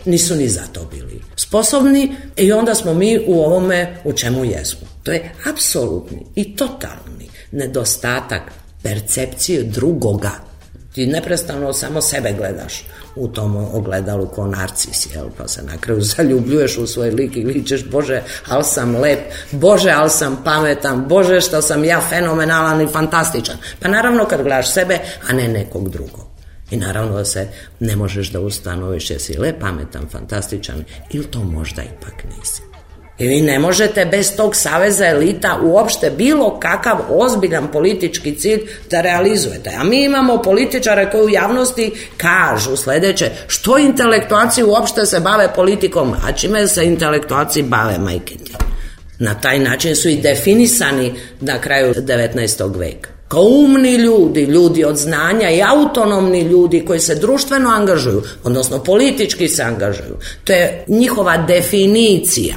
Nisu ni za to bili sposobni i onda smo mi u ovome u čemu jesmo. To je apsolutni i totalni nedostatak percepcije drugoga. Ti neprestano samo sebe gledaš u tom ogledalu ko narcis, pa se na kraju zaljubljuješ u svoj lik i ličeš, Bože, ali sam lep, Bože, ali sam pametan, Bože, što sam ja fenomenalan i fantastičan. Pa naravno kad gledaš sebe, a ne nekog drugog. I naravno da se ne možeš da ustanoviš jesi lep, pametan, fantastičan ili to možda ipak nisi. I vi ne možete bez tog saveza elita uopšte bilo kakav ozbiljan politički cilj da realizujete. A mi imamo političare koji u javnosti kažu sledeće, što intelektualci uopšte se bave politikom, a čime se intelektualci bave, majke ti. Na taj način su i definisani na kraju 19. veka. Kao umni ljudi, ljudi od znanja i autonomni ljudi koji se društveno angažuju, odnosno politički se angažuju. To je njihova definicija.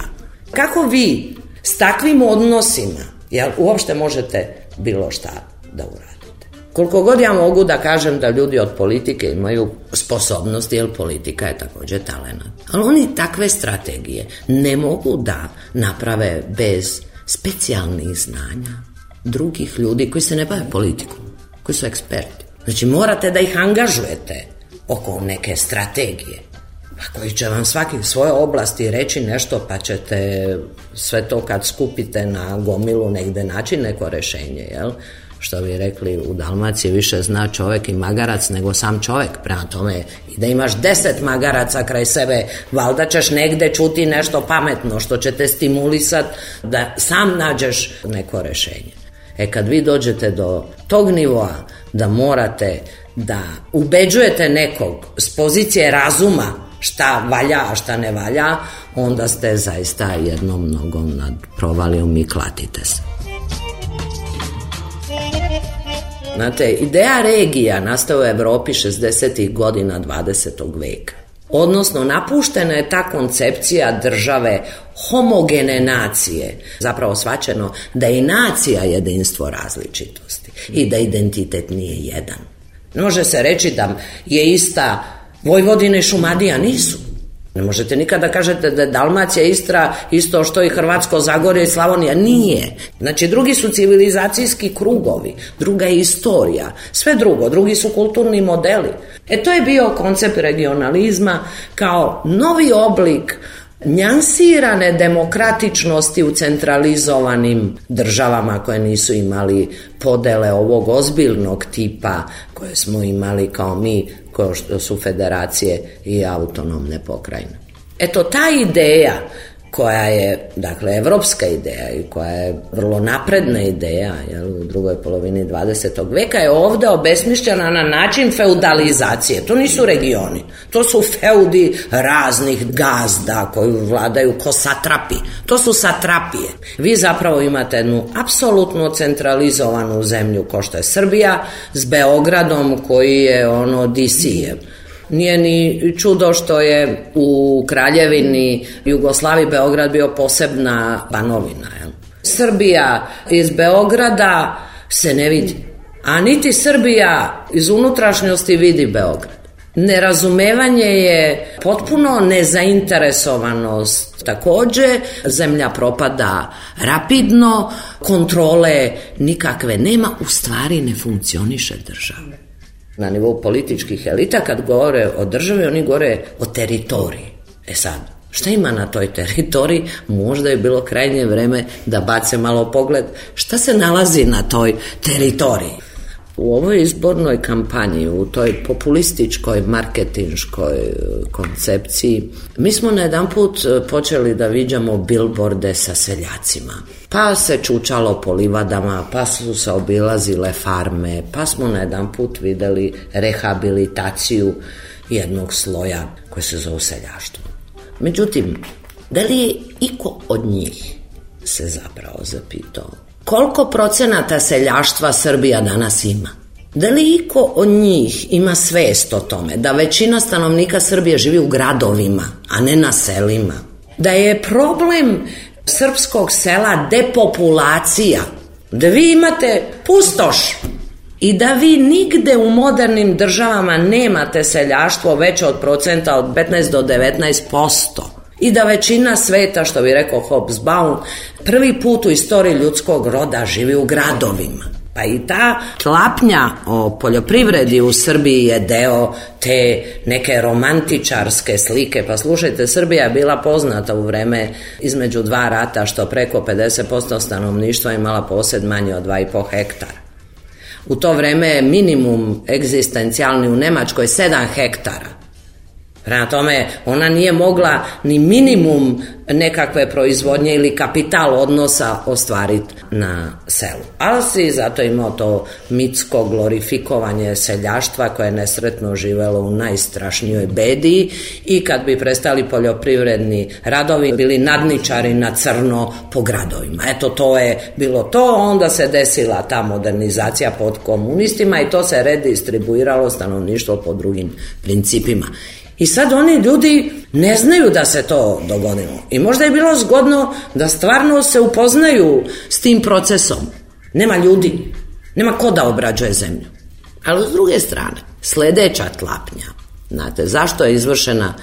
Kako vi s takvim odnosima uopšte možete bilo šta da uradite? Koliko god ja mogu da kažem da ljudi od politike imaju sposobnosti, jer politika je također talenat. Ali oni takve strategije ne mogu da naprave bez specijalnih znanja drugih ljudi koji se ne bave politikom, koji su eksperti. Znači morate da ih angažujete oko neke strategije, koji će vam svaki svoje oblasti reći nešto, pa ćete sve to kad skupite na gomilu negde naći neko rešenje, Što bi rekli u Dalmaciji, više zna čovek i magarac nego sam čovek. Prema tome, i da imaš 10 magaraca kraj sebe, valjda ćeš negde čuti nešto pametno što će te stimulisati da sam nađeš neko rešenje. Kad vi dođete do tog nivoa da morate da ubeđujete nekog s pozicije razuma šta valja, a šta ne valja, onda ste zaista jednom nogom nad provalijom i klatite se. Znate, ideja regija nastaje u Evropi 60. godina 20. veka. Odnosno, napuštena je ta koncepcija države homogene nacije. Zapravo shvaćeno da je i nacija jedinstvo različitosti i da identitet nije jedan. Ne može se reći da je ista Vojvodina i Šumadija, nisu. Ne možete nikada kažete da je Dalmacija, Istra isto što i Hrvatsko Zagorje i Slavonija. Nije. Znači, drugi su civilizacijski krugovi, druga je istorija, sve drugo, drugi su kulturni modeli. To je bio koncept regionalizma kao novi oblik njansirane demokratičnosti u centralizovanim državama koje nisu imali podele ovog ozbiljnog tipa koje smo imali kao mi, kao što su federacije i autonomne pokrajine. Eto, ta ideja koja je, dakle, evropska ideja i koja je vrlo napredna ideja u drugoj polovini 20. veka je ovde obesmišljena na način feudalizacije. To nisu regioni, to su feudi raznih gazda koji vladaju ko satrapi. To su satrapije. Vi zapravo imate jednu apsolutno centralizovanu zemlju kao što je Srbija s Beogradom koji je DC-je. Nije ni čudo što je u Kraljevini Jugoslaviji Beograd bio posebna banovina. Srbija iz Beograda se ne vidi, a niti Srbija iz unutrašnjosti vidi Beograd. Nerazumevanje je potpuno nezainteresovanost. Takođe, zemlja propada rapidno, kontrole nikakve nema, u stvari ne funkcioniše država. Na nivou političkih elita kad govore o državi, oni govore o teritoriji. Sad, šta ima na toj teritoriji? Možda je bilo krajnje vreme da bace malo pogled šta se nalazi na toj teritoriji. U ovoj izbornoj kampanji, u toj populističkoj, marketinškoj koncepciji, mi smo na jedan put počeli da viđamo bilborde sa seljacima. Pa se čučalo po livadama, pa su se obilazile farme, pa smo na jedan put videli rehabilitaciju jednog sloja koji se zove seljaštvo. Međutim, da li je iko od njih se zapravo zapitao koliko procenata seljaštva Srbija danas ima? Da li iko od njih ima svest o tome da većina stanovnika Srbije živi u gradovima, a ne na selima? Da je problem srpskog sela depopulacija, da vi imate pustoš i da vi nigde u modernim državama nemate seljaštvo veće od procenta od 15 do 19%. I da većina sveta, što bi rekao Hobsbawm, prvi put u istoriji ljudskog roda živi u gradovima. Pa i ta tlapnja o poljoprivredi u Srbiji je deo te neke romantičarske slike. Pa slušajte, Srbija je bila poznata u vreme između dva rata što preko 50% stanovništva imala posed manje od 2,5 hektara. U to vreme je minimum egzistencijalni u Nemačkoj 7 hektara. Prema tome, ona nije mogla ni minimum nekakve proizvodnje ili kapital odnosa ostvariti na selu. Ali si zato imao to mitsko glorifikovanje seljaštva koje je nesretno živelo u najstrašnijoj bedi i kad bi prestali poljoprivredni radovi, bili nadničari na crno po gradovima. Eto, to je bilo to, onda se desila ta modernizacija pod komunistima i to se redistribuiralo stanovništvo po drugim principima. I sad oni ljudi ne znaju da se to dogodilo. I možda je bilo zgodno da stvarno se upoznaju s tim procesom. Nema ljudi, nema ko da obrađuje zemlju. Ali s druge strane, sledeća tlapnja. Znate, zašto je izvršena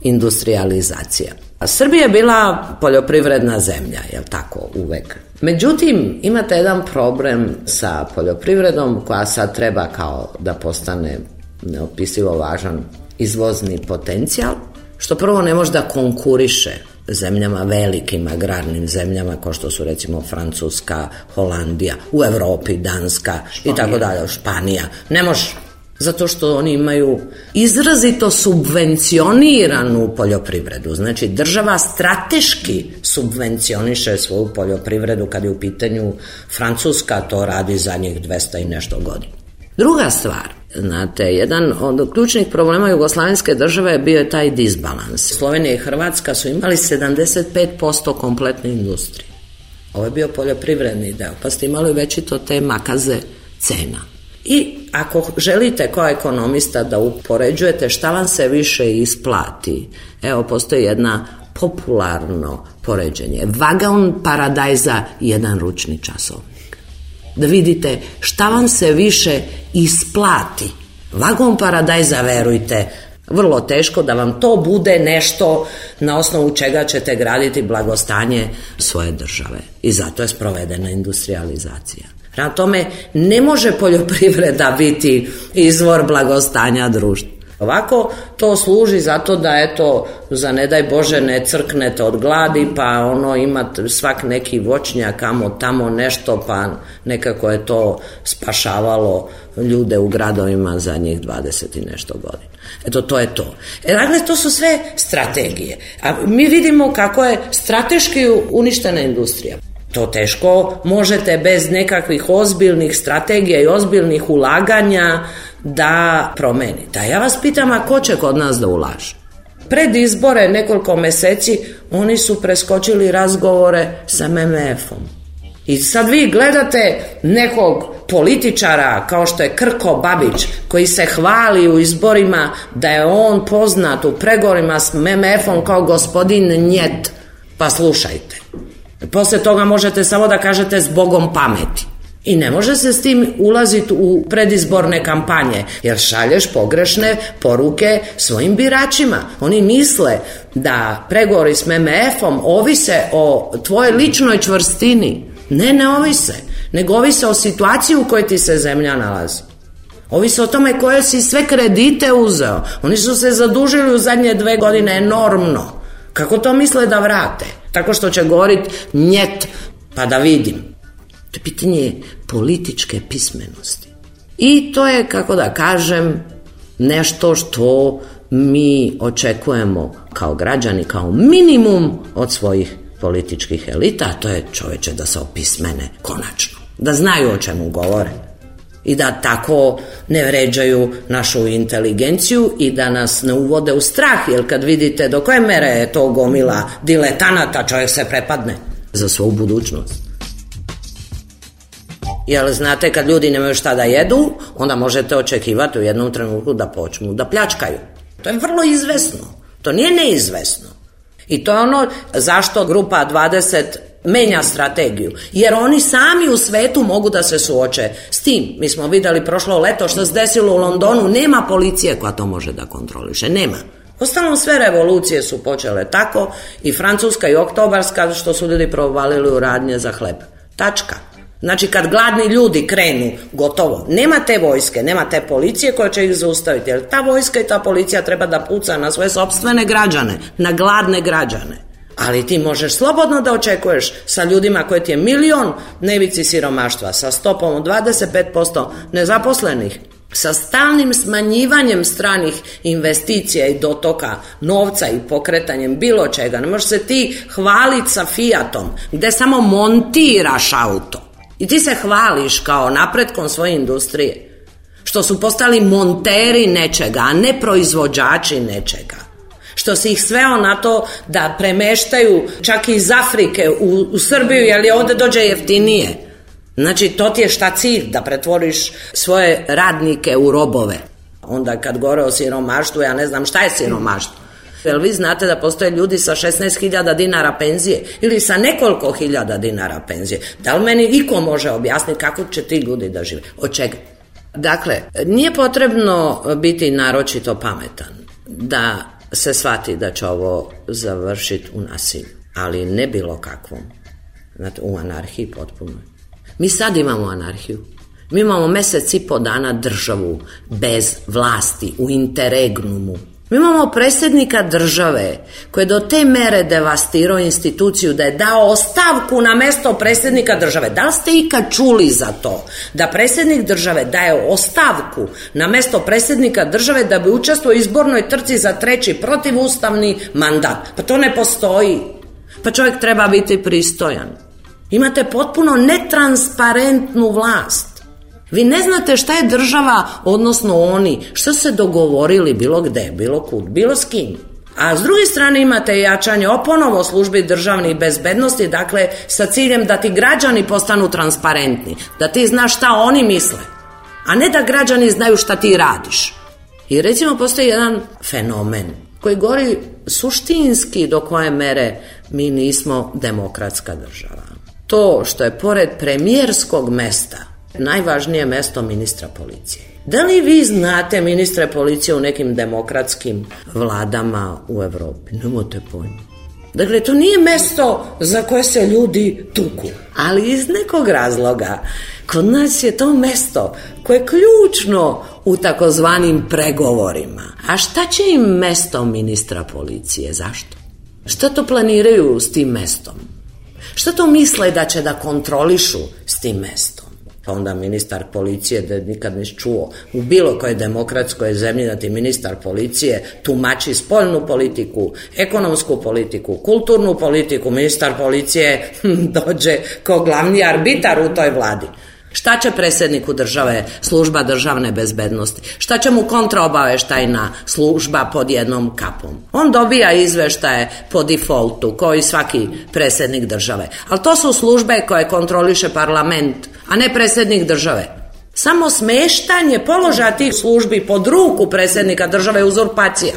industrializacija? Srbija je bila poljoprivredna zemlja, jel tako, uvek. Međutim, imate jedan problem sa poljoprivredom koja sad treba kao da postane neopisivo važan izvozni potencijal, što prvo ne može da konkuriše zemljama, velikim agrarnim zemljama kao što su recimo Francuska, Holandija, u Evropi, Danska i tako dalje, Španija. Ne može, zato što oni imaju izrazito subvencioniranu poljoprivredu. Znači, država strateški subvencioniše svoju poljoprivredu kad je u pitanju Francuska, to radi zadnjih 200 i nešto godina. Druga stvar, znate, jedan od ključnih problema jugoslavenske države bio je taj disbalans. Slovenija i Hrvatska su imali 75% kompletne industrije. Ovo je bio poljoprivredni deo, pa ste imali večito te makaze cena. I ako želite kao ekonomista da upoređujete šta vam se više isplati, evo postoji jedna popularno poređenje. Vagon paradajza i jedan ručni časovnik. Da vidite šta vam se više isplati. Vagon paradajza, verujte, Vrlo teško da vam to bude nešto na osnovu čega ćete graditi blagostanje svoje države. I zato je sprovedena industrijalizacija. Prema tome, ne može poljoprivreda biti izvor blagostanja društva. Ovako to služi zato da eto, za ne daj Bože ne crknete od gladi, pa imate svak neki voćnjak, tamo nešto, pa nekako je to spašavalo ljude u gradovima zadnjih 20 i nešto godina. Eto, to je to. Dakle, to su sve strategije. A mi vidimo kako je strateški uništena industrija. To teško možete bez nekakvih ozbiljnih strategija i ozbiljnih ulaganja da promenite. A ja vas pitam, a ko će kod nas da ulaže? Pred izbore nekoliko meseci oni su preskočili razgovore sa MMF-om. I sad vi gledate nekog političara kao što je Krko Babić, koji se hvali u izborima da je on poznat u pregovorima s MMF-om kao gospodin Njet. Pa slušajte. Posle toga možete samo da kažete zbogom pameti. I ne može se s tim ulaziti u predizborne kampanje, jer šalješ pogrešne poruke svojim biračima. Oni misle da pregovori s MMF-om ovise o tvojoj ličnoj čvrstini. Ne ovise, nego ovise o situaciji u kojoj ti se zemlja nalazi. Ovise o tome koje si sve kredite uzeo. Oni su se zadužili u zadnje 2 godine enormno. Kako to misle da vrate? Tako što će govoriti njet, pa da vidim. To je pitanje političke pismenosti. I to je, kako da kažem, nešto što mi očekujemo kao građani, kao minimum od svojih političkih elita, a to je, čoveče, da se opismene konačno. Da znaju o čemu govore. I da tako ne vređaju našu inteligenciju i da nas ne uvode u strah, jer kad vidite do koje mere je to gomila diletanata, čovjek se prepadne za svoju budućnost. Jer znate, kad ljudi nemaju šta da jedu, onda možete očekivati u jednom trenutku da počnu da pljačkaju. To je vrlo izvesno, to nije neizvesno. I to je ono zašto grupa 20 menja strategiju, jer oni sami u svetu mogu da se suoče s tim. Mi smo videli prošlo leto što se desilo u Londonu, nema policije koja to može da kontroliše, nema. Ostalom, sve revolucije su počele tako, i francuska i oktobarska, što su ljudi provalili u radnje za hleb. Tačka. Znači, kad gladni ljudi krenu, gotovo. Nema te vojske, nema te policije koja će ih zaustaviti, jer ta vojska i ta policija treba da puca na svoje sopstvene građane, na gladne građane. Ali ti možeš slobodno da očekuješ sa ljudima koji ti je 1 milion na ivici siromaštva, sa stopom od 25% nezaposlenih, sa stalnim smanjivanjem stranih investicija i dotoka novca i pokretanjem bilo čega. Ne možeš se ti hvaliti sa Fiatom, gde samo montiraš auto. I ti se hvališ kao napretkom svoje industrije, što su postali monteri nečega, a ne proizvođači nečega. Što si ih sveo na to da premeštaju čak iz Afrike u Srbiju, jer je ovde dođe jeftinije. Znači, to ti je šta cilj, da pretvoriš svoje radnike u robove. Onda kad govore o siromaštvu, ja ne znam šta je siromaštvo. Jer vi znate da postoje ljudi sa 16.000 dinara penzije ili sa nekoliko hiljada dinara penzije. Da li meni iko može objasniti kako će ti ljudi da žive? Od čega? Dakle, nije potrebno biti naročito pametan da se shvati da će ovo završiti u nasilju, ali ne bilo kakvom. Znate, u anarhiji potpuno. Mi sad imamo anarhiju. Mi imamo 1,5 mjeseca dana državu bez vlasti, u interregnumu. Mi imamo predsjednika države koji je do te mere devastirao instituciju da je dao ostavku na mesto predsjednika države. Da li ste ikad čuli za to? Da predsjednik države daje ostavku na mesto predsjednika države da bi učestvovao u izbornoj trci za 3. protivustavni mandat. Pa to ne postoji. Pa čovjek treba biti pristojan. Imate potpuno netransparentnu vlast. Vi ne znate šta je država, odnosno oni, što se dogovorili bilo gde, bilo kud, bilo s kim. A s druge strane imate jačanje ponovo službi državnih bezbednosti, dakle sa ciljem da ti građani postanu transparentni, da ti znaš šta oni misle, a ne da građani znaju šta ti radiš. I recimo postoji jedan fenomen koji govori suštinski do koje mere mi nismo demokratska država. To što je pored premijerskog mesta najvažnije mesto ministra policije. Da li vi znate ministre policije u nekim demokratskim vladama u Evropi? Nemate pojma. Dakle, to nije mesto za koje se ljudi tuku, ali iz nekog razloga kod nas je to mesto koje je ključno u takozvanim pregovorima. A šta će im mesto ministra policije? Zašto? Šta to planiraju s tim mestom? Šta to misle da će da kontrolišu s tim mestom? Pa onda ministar policije, da nikad nisi čuo u bilo kojoj demokratskoj zemlji da ti ministar policije tumači spoljnu politiku, ekonomsku politiku, kulturnu politiku. Ministar policije dođe kao glavni arbitar u toj vladi. Šta će predsjedniku države služba državne bezbednosti? Šta će mu kontraobaveštajna služba pod jednom kapom? On dobija izveštaje po defaultu, kao i svaki predsjednik države. Ali to su službe koje kontroliše parlament, a ne predsjednik države. Samo smeštanje položaja tih službi pod ruku predsjednika države je uzurpacija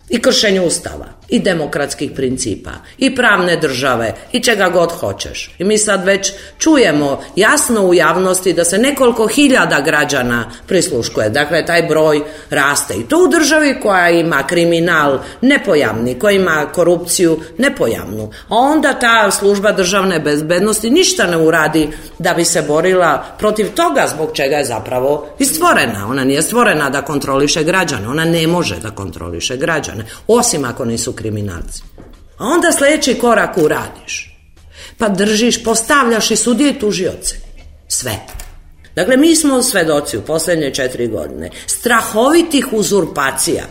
i kršenje ustava i demokratskih principa i pravne države i čega god hoćeš. I mi sad već čujemo jasno u javnosti da se nekoliko hiljada građana prisluškuje. Dakle, taj broj raste. I to u državi koja ima kriminal nepojavni, koja ima korupciju nepojavnu. A onda ta služba državne bezbednosti ništa ne uradi da bi se borila protiv toga zbog čega je zapravo i stvorena. Ona nije stvorena da kontroliše građane. Ona ne može da kontroliše građane, osim ako nisu kriminalci. A onda sljedeći korak uradiš. Pa držiš, postavljaš i sudije i tužioce. Sve. Dakle, mi smo svedoci u posljednje 4 godine strahovitih uzurpacija,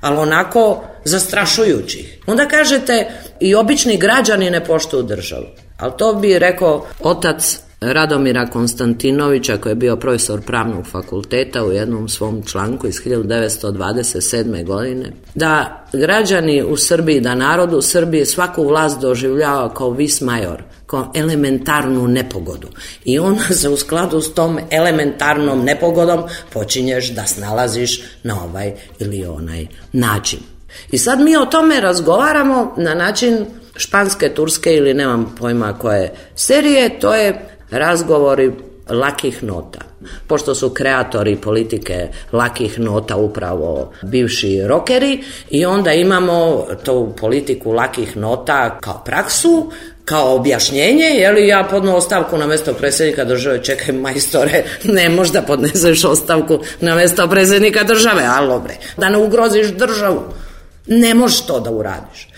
ali onako zastrašujućih. Onda kažete i obični građani ne poštuju državu. Ali to bi rekao otac Radomira Konstantinovića, koji je bio profesor pravnog fakulteta, u jednom svom članku iz 1927. godine, da građani u Srbiji, da narod u Srbiji svaku vlast doživljava kao vis major, kao elementarnu nepogodu. I onda se u skladu s tom elementarnom nepogodom počinješ da snalaziš na ovaj ili onaj način. I sad mi o tome razgovaramo na način španske, turske ili nemam pojma koje serije, to je razgovori lakih nota. Pošto su kreatori politike lakih nota upravo bivši rokeri, i onda imamo tu politiku lakih nota kao praksu, kao objašnjenje, je li ja podnu ostavku na mjesto predsjednika države, čekaj majstore, ne možeš da podneseš ostavku na mjesto predsjednika države, alo bre, da ne ugroziš državu, ne možeš to da uradiš.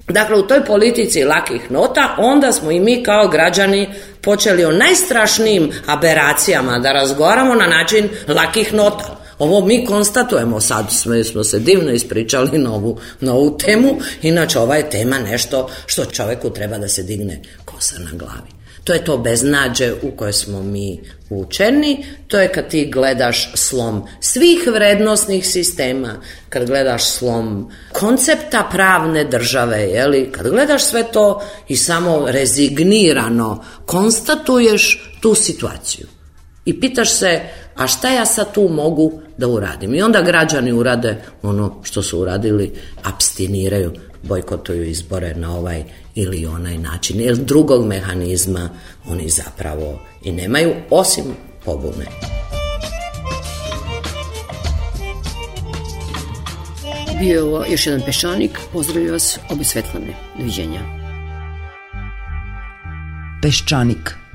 Dakle, u toj politici lakih nota onda smo i mi kao građani počeli o najstrašnijim aberacijama da razgovaramo na način lakih nota. Ovo mi konstatujemo, sad smo se divno ispričali na ovu temu, inače ova je tema nešto što čovjeku treba da se digne kosa na glavi. To je to beznađe u koje smo mi učeni, to je kad ti gledaš slom svih vrednosnih sistema, kad gledaš slom koncepta pravne države, jeli? Kad gledaš sve to i samo rezignirano konstatuješ tu situaciju. I pitaš se, a šta ja sad tu mogu da uradim? I onda građani urade ono što su uradili, apstiniraju, bojkotuju izbore na ovaj ili onaj način, jer drugog mehanizma oni zapravo i nemaju, osim pobune. Bio je ovo još jedan Peščanik. Pozdravljam vas, obe Svetlane. Doviđenja. Peščanik.